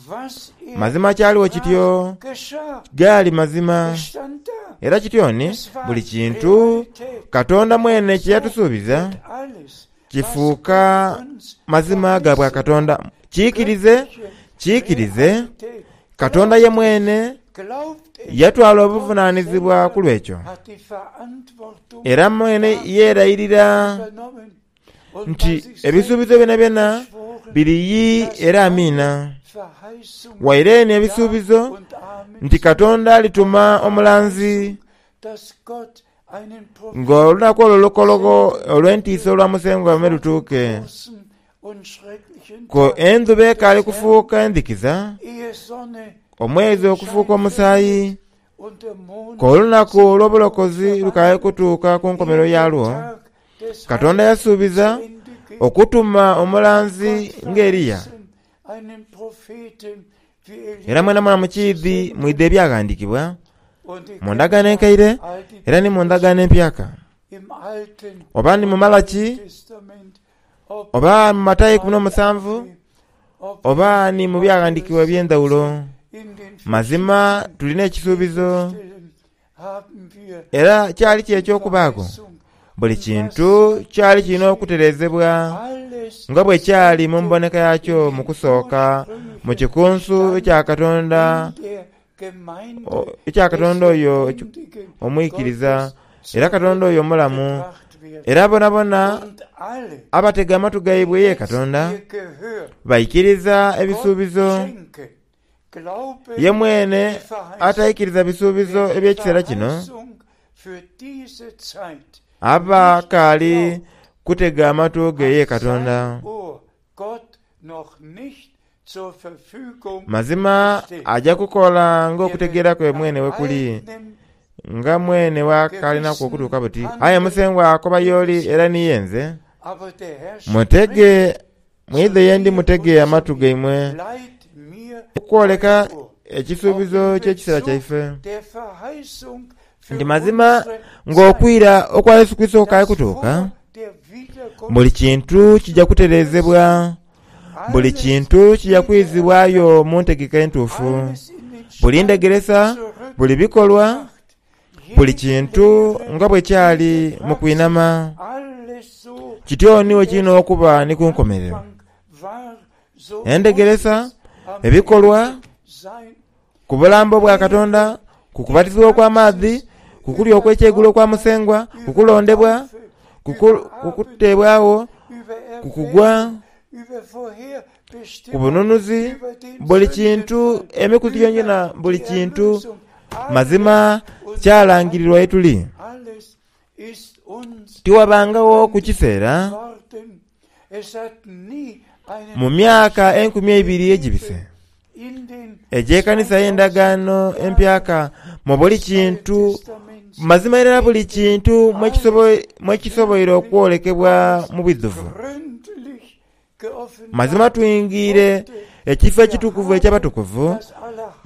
was er mazima kyaliwo kityo geschah. gaali mazima Es stand da. era kityo ni Es war buli kintu Realität. Katonda mwene kye yatusuubiza Wird alles, was kifuuka Gott uns mazima ga bwa verheißen Katonda kiikirize göttliche kiikirize Realität. Katonda ye mwene Yatwala obuvunaanyizibwa ku lw'ekyo. Era mwene yeerayirira nti ebisuubizo byonabyona biri yi era amiina. Waire ni ebisuubizo nti Katonda alituma omulanzi ng'olunaku olwo olukologho olw'entiisa olwa Musengwa lwame lutuuke. Ko endhuba ekaali kufuuka endhikiza, omwezi okufuuka omusaayi, k'olunaku olw'obulokozi lukaali kutuuka ku nkomerero yalwo, Katonda yasuubiza okutuma omulanzi ng'Eriya. Era mwenamwena mukiidhi mwidha ebyaghandiikibwa mu ndagaano enkaire era ni mu ndagaano empyaka, oba ni mu Malaki, oba mu Matayo eikumi n'omusanvu, oba ni mu byaghandiikibwa eby'endhawulo. Mazima tulina ekisuubizo, era kyali ki eky'okubaagho? Buli kintu kyali kirina okutereezebwa nga bwe kyali mu mboneka yakyo mu kusooka mu kikunsu ekya Katonda ekya Katonda oyo omwikiriza era Katonda oyo omulamu. Era bonabona abatega amatu gaibwe ye Katonda baikiriza ebisuubizo. Ye mwene ataikiriza bisuubizo eby'ekiseera kino aba akaali kutega amatu ge ye Katonda. Mazima aja kukola ng'okutegeera kwe mwene bwe kuli, nga mwene bw'akalinaku okutuuka buti. Aye Musengwa akoba y'oli era ni ye nze, mutege mwidhe ye ndi mutege amatu gaimwe okwoleka ekisuubizo ky'ekiseera kyaife. Nti mazima ng'okwira okwa Yesu Kurisito kukaali kutuuka, buli kintu kija kutereezebwa, buli kintu kija kwizibwayo mu ntegeka entuufu, buli ndhegeresa, buli bikolwa, buli kintu nga bwe kyali mu kwinama. Kityo ni bwe kirina okuba ni ku nkomerero. Endhegeresa, ebikolwa, ku bulambo bwa Katonda, ku kubatizibwa okw'amaadhi, ku kulya okw'ekyeigulo okwa Musengwa, ku kulondebwa, ku kuteebwagho, ku kugwa, ku bununuzi, buli kintu, emikuzi gyonagyona, buli kintu mazima kyalangirirwa ye tuli. Tiwabangagho ku kiseera mu myaka enkumi eibiri egibise egy'ekanisa y'endagaano empyaka mu buli kintu, mazima irala buli kintu mwekisoboire okwolekebwa mu bwidhuvu. Mazima twingiire ekifo ekitukuvu eky'abatukuvu,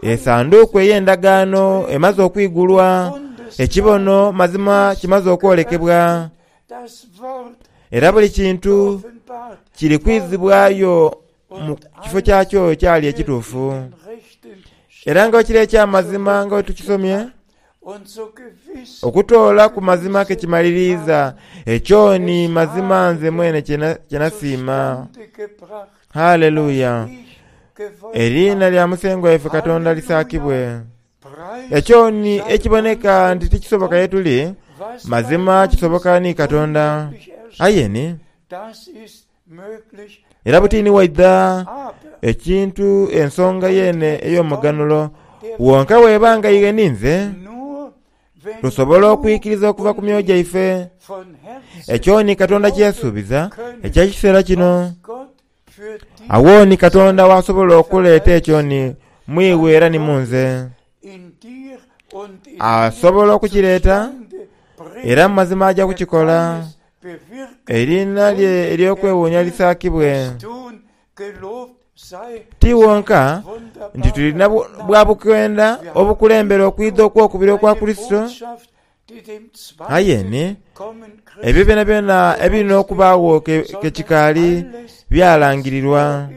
esanduuku ey'endagaano emaze okwigulwa, ekibono mazima kimaze okwolekebwa, era buli kintu kiri kwizibwayo mu kifo kyakyo ekyali ekituufu. Era nga bwe kiri eky'amazima nga bwe tukisomye, okutoola ku mazima ke kimaliriiza, ekyo ni mazima nze mwene kye nasiima. Haleluya! Eriina lya Musengwa waife Katonda lisaakibwe. Ekyo ni ekiboneka nti tikisoboka ye tuli, mazima kisoboka ni Katonda. Aye ni, era buti ni waidha ekintu ensonga yeene ey'omuganhulo, wonka bw'eba nga iwe ni nze tusobola okwikiriza okuva ku myoyo gyaife ekyo ni Katonda kye yasuubiza eky'ekiseera kino. Agho ni Katonda w'asobola okuleeta ekyo ni mu iwe era ni mu nze. Asobola okukireeta era mu mazima aja kukikola. Eriina lye ery'okwewuunia lisaakibwe. Ti wonka nti tulina bwa bukwenda obukulembera okwidha okw'okubiri okwa Kurisito, aye ni ebyo byonabyona ebiri n'okubaagho ke kikaali byalangirirwa.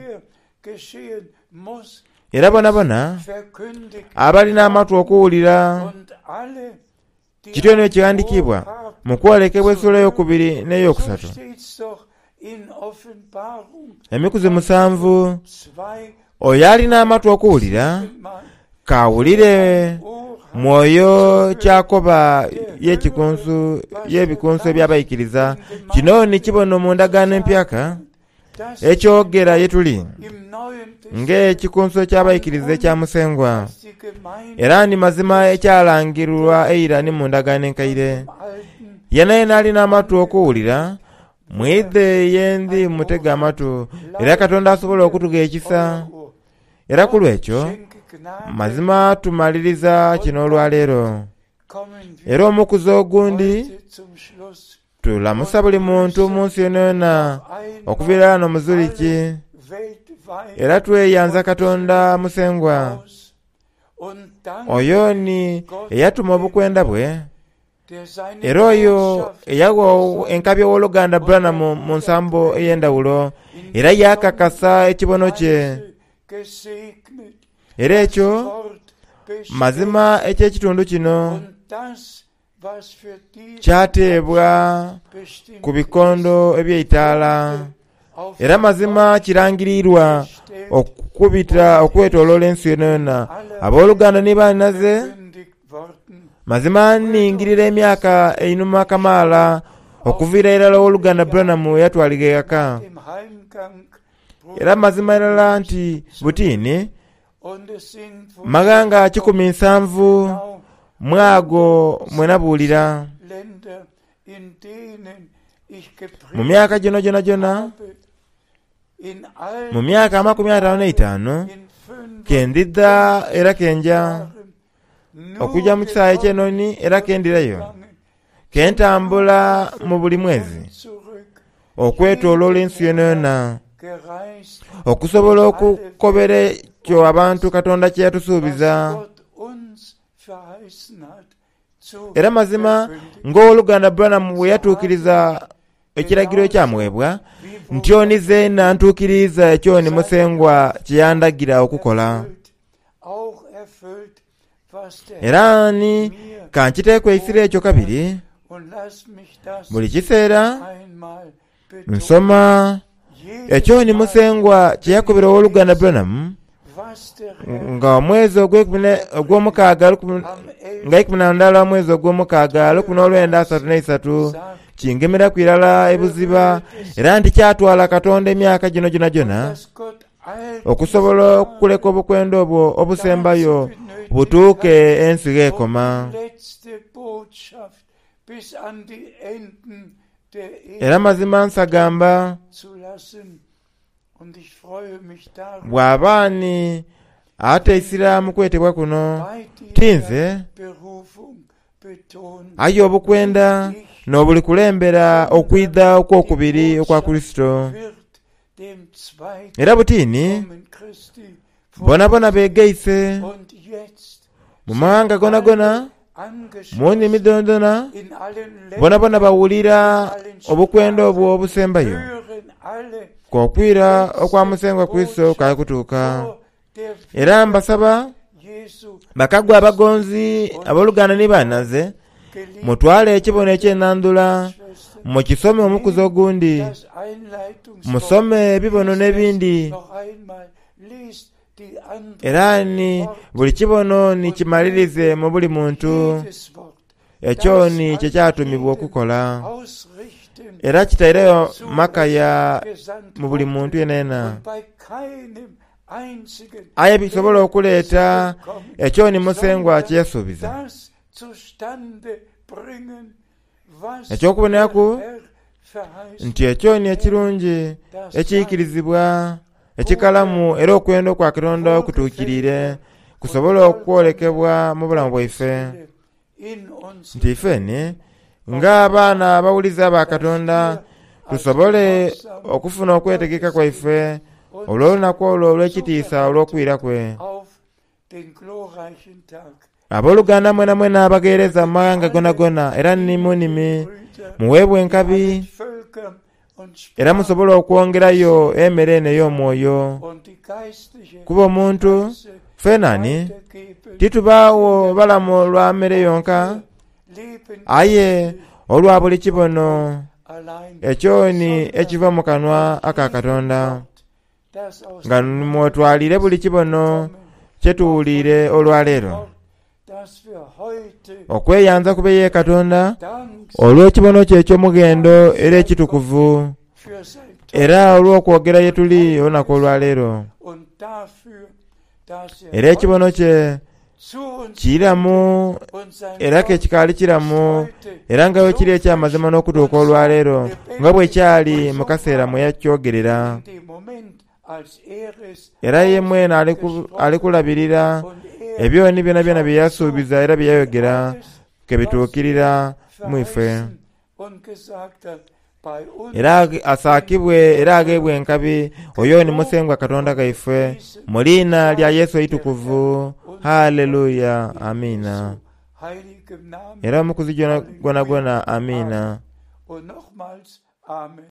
Era bonabona abali n'amatu okuwulira, kityo ni bwe kighandiikibwa mu kwolekebwa esula eyokubiri n'eyokusatu. Emikuzi musanvu, oyo ali n'amatu okuwulira, Kawulire mwoyo kyakoba y'ekikunsu y'ebikunsu eby'abaikiriza. Kino ni kibono mu ndagaano empyaka ekyogera ye tuli ng'ekikunsu eky'abaikiriza ekya Musengwa, era ni mazima ekyalangirwa eira ni mu ndagaano enkaire. Yena yena alina amatu okuwulira, mwidhe ye ndi mutege amatu, era Katonda asobola okutugha ekisa. Era ku lw'ekyo mazima tumaliriza kino olwaleero. Era omukuzi ogundi tulamusa buli muntu mu nsi yonayona okuviira ghano mu Zurich. Era tweyanza Katonda Musengwa oyo ni eyatuma obukwenda bwe, era oyo eyagha enkabi ow'oluganda Branham mu nsambo ey'endawulo, era yakakasa ekibono kye. Era ekyo mazima eky'ekitundu kino kyateebwa ku bikondo eby'eitaala, era mazima kirangirirwa okubita okwetooloola ensi yonayona. Abooluganda ni bannaze, mazima ningirira emyaka einhuma kamaala okuviira irala ow'oluganda Branham yatwalibwa eghaka. Era mazima irala nti butiini maghanga kikumi nsanvu mwago mwe nabuulira. Mu myaka gino gyonagyona, mu myaka amakumi ataanu n'eitaanu, ke ndidha era ke nja okujja mu kisaawe eky'enhonhi era ke ndirayo, ke ntambula mu buli mwezi okwetooloola ensi yonayona, okusobola okukobera ekyo abantu Katonda kye yatusuubiza. Era mazima ng'owoluganda Branham bwe yatuukiriza ekiragiro ekyamuweebwa, ntyo ni zeena ntuukiriiza ekyo ni Musengwa kye yandagira okukola. Era ni kankiteeku eisira ekyo kabiri, buli kiseera nsoma ekyo ni Musengwa kye yakobera owoluganda Branham nga omwezi ogw'omukaaga nga ikumi na ndala omwezi ogw'omukaaga lukumi n'olwenda asatu n'eisatu kingemeraku irala ebuziba, era nti kyatwala Katonda emyaka gino gyonagyona okusobola okuleka obukwenda obwo obusembayo butuuke ensi gh'ekoma. Era mazima nsagamba bw'aba ni ateisira mu kwetebwa kuno, ti nze, aye obukwenda n'obulikulembera okwidha okw'okubiri okwa Kurisito. Era butiini bonabona beegaise mu maghanga gonagona, mu nnimi dhonadhona, bonabona bawulira obukwenda obwo obusembayo, k'okwira okwa Musengwa Kurisito kali kutuuka. Era mbasaba bakagwa abagonzi abooluganda ni bannaze, mutwale ekibono eky'enandhula mukisome omukuzi ogundi, musome ebibono n'ebindi, era ni buli kibono ni kimalirize mu buli muntu. Ekyo ni kye kyatumibwa okukola, era kitaireyo makaya mu buli muntu yenayena. Aye bisobola okuleeta ekyo ni Musengwa kye yasuubiza. Eky'okuboneraku nti ekyo ni ekirungi ekiikirizibwa, ekikalamu era okwenda okwa Katonda okutuukiriire kusobola okwolekebwa mu bulamu bwaife. Nti ifeni ng'abaana abawulize aba Katonda tusobole okufuna okwetegeka kwaife olw'olunaku olwo olw'ekitiisa olw'okwira kwe. Abooluganda mwenamwena abagheereza mu maghanga gonagona era ni mu nnimi, muweebwe enkabi era musobole okwongerayo emere eno ey'omwoyo. Kuba omuntu fenani titubaagho balamu lwa mere yonka, aye olwa buli kibono ekyo ni ekiva mu kanwa aka Katonda. Nga mwotwalire buli kibono kye tuwuliire olwaleero Wort, das wir heute okweyanza kube ye Katonda Dank olw'ekibono kye eky'omughendo era ekitukuvu für sein era olw'okwogera ye tuli olunaku olwaleero und dafür, dass er era ekibono kye zu uns kiramu und sein era Wort ke kikaali kiramu heute era nga bwe kiri eky'amazima n'okutuuka olwaleero nga bwe kyali mu kaseera mwe yakyogerera in dem Moment, als er es era ye mwene aliku- alikulabirira und er ebyoni byonabyona bye yasuubiza era bye yayogera ke bituukirira mu ife verheißen und gesagt hat, bei uns era age- asaakibwe era ageebwe enkabi oyo ni musengwa Katonda gaife mu liina lya Yesu eitukuvu haleluya amiina heiligem Namen era omukuzi gwona gwona gwona amiina und nochmals Amen.